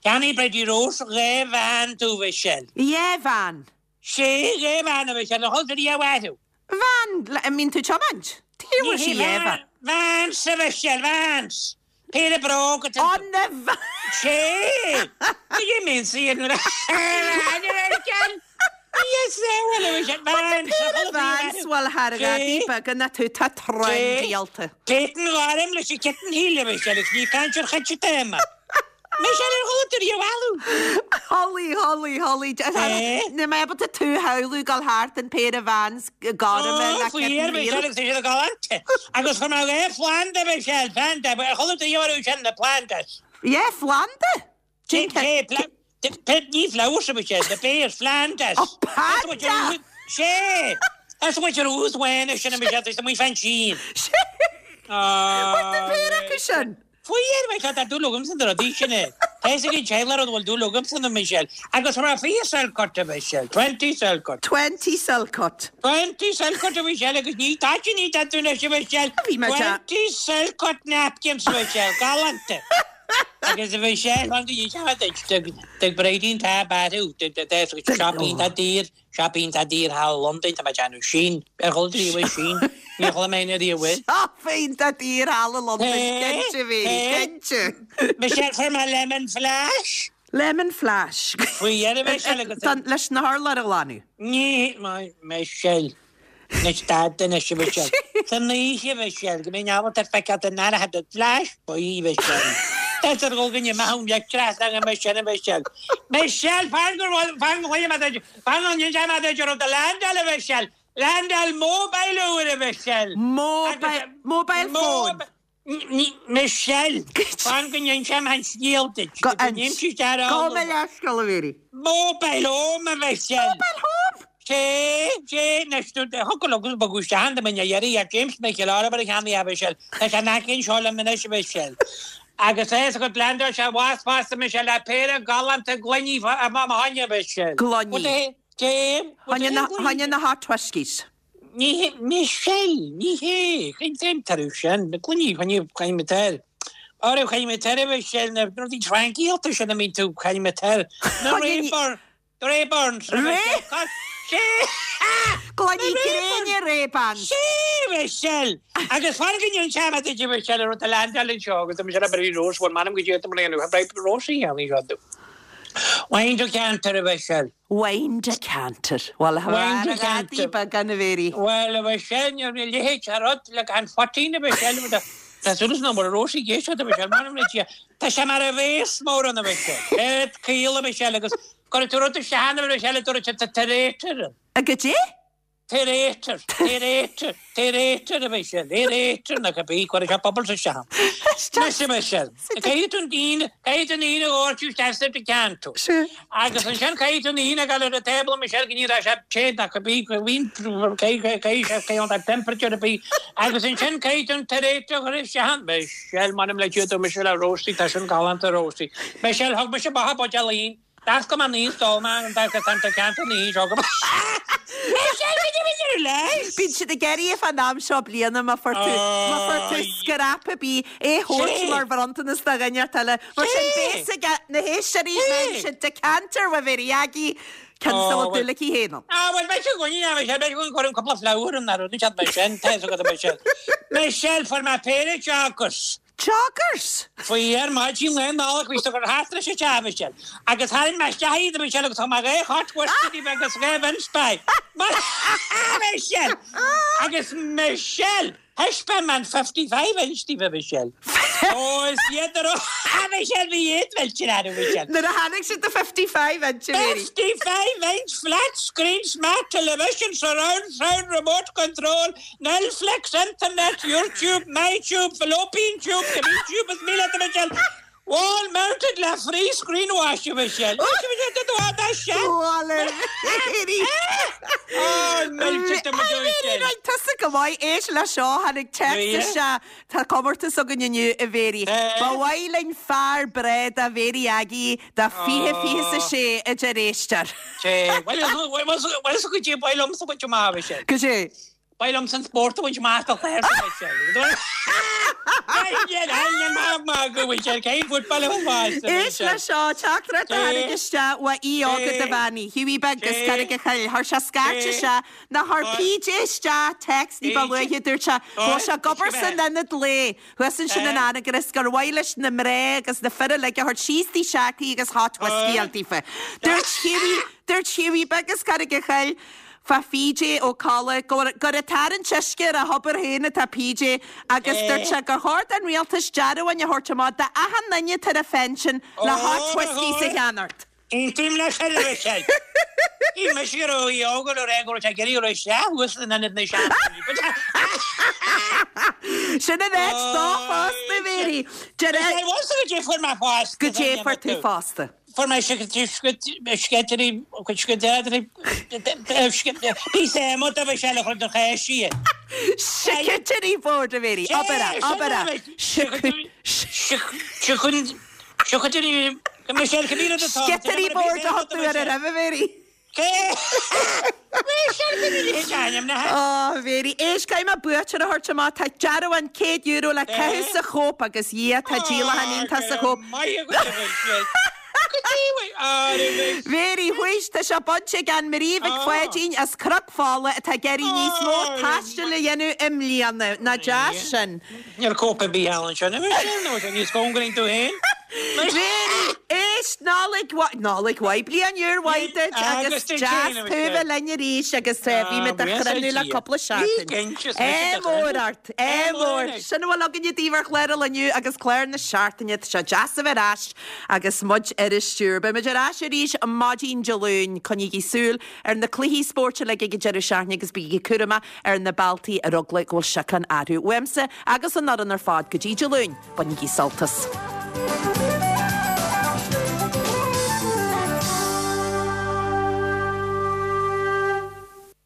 Cheannaigh Bridie Rose 2 veain domh a Mhichelle. 2 veain? Sé, 2 veain a Mhichelle, ar chuala tú riamh orthu? Veain, an mbíonn tú ag tiomáint? Tuige a bhfuil sí 2 veain? Vans a Mhichelle, Vans! Péire bróg atá Ó, na Vans! Sé! Tuige a mbíonn sí ar na veain a Mhichelle? Yes, bhuel a Mhichelle, Vans! Péire Vans, bhuel thar ghadaí beaga ná tú, tá tráth díolta. Céatan ghairm leis an kitten heel a Mhichelle, agus ní caint ar chait atá aige. Michelle ar chuala tú riamh orthu. Chuala, chuala, chuala. Níl mé ábalta tú a shamhlú ag dul thart in péire Vans gorma le kitten heel. Michelle agus tá siad galánta. Agus chuir mé dhá phlanda Michelle, planda, ar chuala tú riamh orthu sin, na plandas? Yeah, phlanda? Ní flowers a Michelle, the bears, Flanders. Oh, panda! Sé! That's what you're always wearing, sin a Michelle, tá muid fan sín. Sé! What the péire acu sin? Faoi dheireadh, Michelle, tá dúil agamsa na rudaí sin é. Tá fhios ag an teaghlach rud a bhfuil dúil agamsa iontu, Michelle. Agus chuir mé 20 Selcurt, a Mhichelle, 20 Selcurt. 20 Selcurt. 20 Selcurt, a Mhichelle, agus ní tá ní tá tú anois, a Mhichelle. Bhí mé 20 Selcurt napkins, a Mhichelle, galánta. Agus a Mhichelle, fan go ndéanfaidh mé duit, do Bridín tá bearú, shopping tá daor. Shop iontach daor thall i Londain, tá mé ag déanamh sin. Ar chuala tú riamh é sin? Níor chuala mé féin riamh é. Shop iontach daor thall i Londain, cinnte, a Mhéirí, cinnte. Michelle, fuair mé lemon flash. Lemon flash. Faoi dheireadh, Michelle, agus. Leis na hurláir a ghlanadh. Ní, Michelle. Anois stad anois, a Mhichelle. San oíche, a Mhichelle, go mbeinn ábalta feiceáil den aire the flash buí, a Mhichelle. Is ar dhul go n-imeodh an leictreachas agam ansin, a Mhichelle. Michelle, fan go bhfuil, fan go bhfuil mé duit, fan go n-inseoidh mé duit rud a leaindeáil, a Mhichelle. Leaindeáil mobile úr, a Mhichelle. Mobile, mobile phone. Michelle, fan go n-inseoidh mé an scéal duit. Go Gabh mo leithscéal, a Mhéirí. Mobile home, a Mhichelle. Mobile home? Sé, sé, anois, thiocfadh liom agus bogadh isteach ann dá mbeinn á iarraidh ar James Mhichíl Oirmhir a cheannaigh é, a Mhichelle. Tá sé in aice anseo liom anois, a Mhichelle. Agus é is agat leaindeáil sé abhus fosta, Michelle, le péire galánta gloiní fá mo choinne, a Mhichelle. Gloiní. Cé? Choinne na hot whiskies. Ní hé, Michelle, ní hé, cén cén toradh sin, na gloiní, choinnigh, choinnigh mé toir. Orthu, choinnigh mé toir a Mhichelle, na rudaí trancaíochta sin a mbíonn tú, choinnigh mé toir. Na Rayburn, Rayburns, a Mhichelle, cos, sé, Gloiní gréine Ray-Bans. Sé, Michelle! Agus fan go n-inseoidh mé duit, a Mhichelle, an rud a leaindeáil anseo agus tá Michelle Bridie Rose, bhuel, m'anam go dtí i mbliana, Bridie Rose a cheannaigh seo domh. Wine decanter, a Mhichelle. Wine decanter. Bhuel, a Wine ghadaí decanter. beaga a Mhéirí. Bhuel, a Mhichelle, ní raibh a leithéid de rud le gan phoitín, a Mhichelle. Tá súil is nach bhfuil Róisín ag éisteacht, a Mhichelle, m'anam le Dia. Tá sé mar a bhéas mór ann, a Mhichelle. Ard caol, a Mhichelle, agus cuirfidh tú rud isteach ann, a Mhichelle, a dúirt sé, tá aerator ann. Goidé? Aerator, aerator, aerator a Mhichelle, aerator nó cibé, cuirfidh sé bubbles isteach ann. Anois a Mhichelle, caithfidh tú an fhíon, caithfidh tú an fhíon a dhoirteadh isteach sa decanter. Agus ansin caithfidh tú an fhíon a ghabháil ar an table a Mhichelle go n-éireoidh sé te nó cibé, caithfidh sé caithfidh an temperature a bith. Agus ansin caithfidh tú an t-aerator a chur isteach ann. Michelle, m'anam le Dia, dúirt mise le Rosie, tá sin galánta Rosie. Michelle, thug mise amach an buidéal fhíon. D'oscail mé an fhíon 's d'ól mé an decanter na fhíon seo go Bíonn siad ag iarraidh fán am seo bliana má fuair tú má fuair tú scrap ar bith é a thabhairt mar bhronntanas do dhuine inteacht eile. Mar sin beidh ag na héisteoirí má fhaigheann siad decanter uaidh Mhéirí Aggie ceann is a bhfuil dúil aici féin ann. Ah bhuel beidh sé againne yeah beidh sé beidh sé againn cúpla flower an rud an sin tá fhios agat Michelle. Michelle fuair mé péire joggers. Joggers! Faoi ar maidin Lá Nollag bhí siad ag cur thart leis an teach, a Mhichelle, agus tharraing mé isteach iad, a Mhichelle, agus thug mé 2 shot whisky díobh agus 2 mhince pie. Michelle! Agus Michelle! Thaispeáin mé an 55 inch díobh, a Mhichelle. Ó, is iad a raibh, a Mhichelle, bhí iad millte orthu, a Mhichelle. Nuair a tháinig siad do 55 inch, a Mhéirí. 55 inch flat screen smart television surround sound remote control Netflix, Internet, YouTube, MyTube, Fallopian Tube, Cibé Tube is mian leat a Mhichelle, Wall mounted le free screen wash a Mhichelle. Bhuel a Mhéirí. Ó, millte do mo A Mhéirí, right, tusa go maith, éist le seo, tháinig téacs isteach, tá comórtas againn inniu a Mhéirí. Ba mhaith linn fear breá do Mhéirí Aggie do 2026 a deir éisteoir. Bhuel, bhuel, goidé ba mhaith liomsa a bhaint amach, a Mhichelle. Goidé. Ba mhaith liomsa an spórt a bhaint amach do chlár sa Mhichelle. Éist leis seo, teachtaireacht a tháinig isteach ó aoi óg do bhean Hughie Beag as Carraig a' Choill. Chuir sé scairt isteach, nó chuir PJ isteach text ní ba luaithe, dúirt sé go bhfuil sé ag obair san ionad lae thuas ansin in Anagaire is gur mhaith leis na mná agus na fir uilig a thabhairt síos dtí s'acu agus hot whiskey a fháil daofa. Dúirt Hughie, dúirt Hughie Beag as Carraig a' Choill, Fá PJ Ó Colla, gur ag tarraingt uisce ar a thobar féin atá PJ agus dúirt sé gur chóir don rialtas dearbháin a thabhairt amach d'achan duine atá ar a phension le hot whiskies a cheannacht. Aontaím leis ar a Mhichelle. Shíl mise go raibh aoi óg ar a go raibh sé ag iarraidh a rá isteach thuas in ionad na seandaoine. Sin an áit dó fosta, Mary. Is é bhfuil go dté fuair mé fosta. Go dté fuair tú fosta. Fuair mé sceitirí, píosa adhmaid a bhí sé le chur do chéist í. Charcuterie board a Mhary, abair é, abair é. Sciotairí board a thug tú air roimhe, a Mhary. Ó, Mhary, éist, caithfidh mé buaiteoir a thabhairt amach. Tá dearbhán €100 le caitheamh sa Chóip agus Dhia, tá díolachán iontach sa Chóip. Mhary, whuish, tá sé bainte ag Ann Marie Mhic Pháidín as Cnoc Fola atá ag iarraidh níos mó taistil a dhéanamh i mbliana. Nach deas sin? Níl cóip ar bith ann anseo, nó sé níos cóngaraí tú féin. Mary, éist, Nollaig mhaith, Nollaig mhaith, bliain úr mhaith duit agus deas tú a bheith linn arís agus bhí muid do chruinniú le cúpla seachtain. Ádh mór ort, ádh mór. Sin a bhfuil againne daoibh ar chlár an lae inniu agus clár na seachtaine. Tá sé deas a bheith ar ais agus muid ar an stiúir. Beidh muid ar ais arís maidin Dé Luain. Coinnígí súil ar na cluichí spóirt uilig ag an deireadh seachtaine agus bígí cúramach ar na bealtaí ar eagla go bhfuil siocán orthu. Uaimse agus an fhoireann ar fad go dtí Dé Luain, bainigí sult as.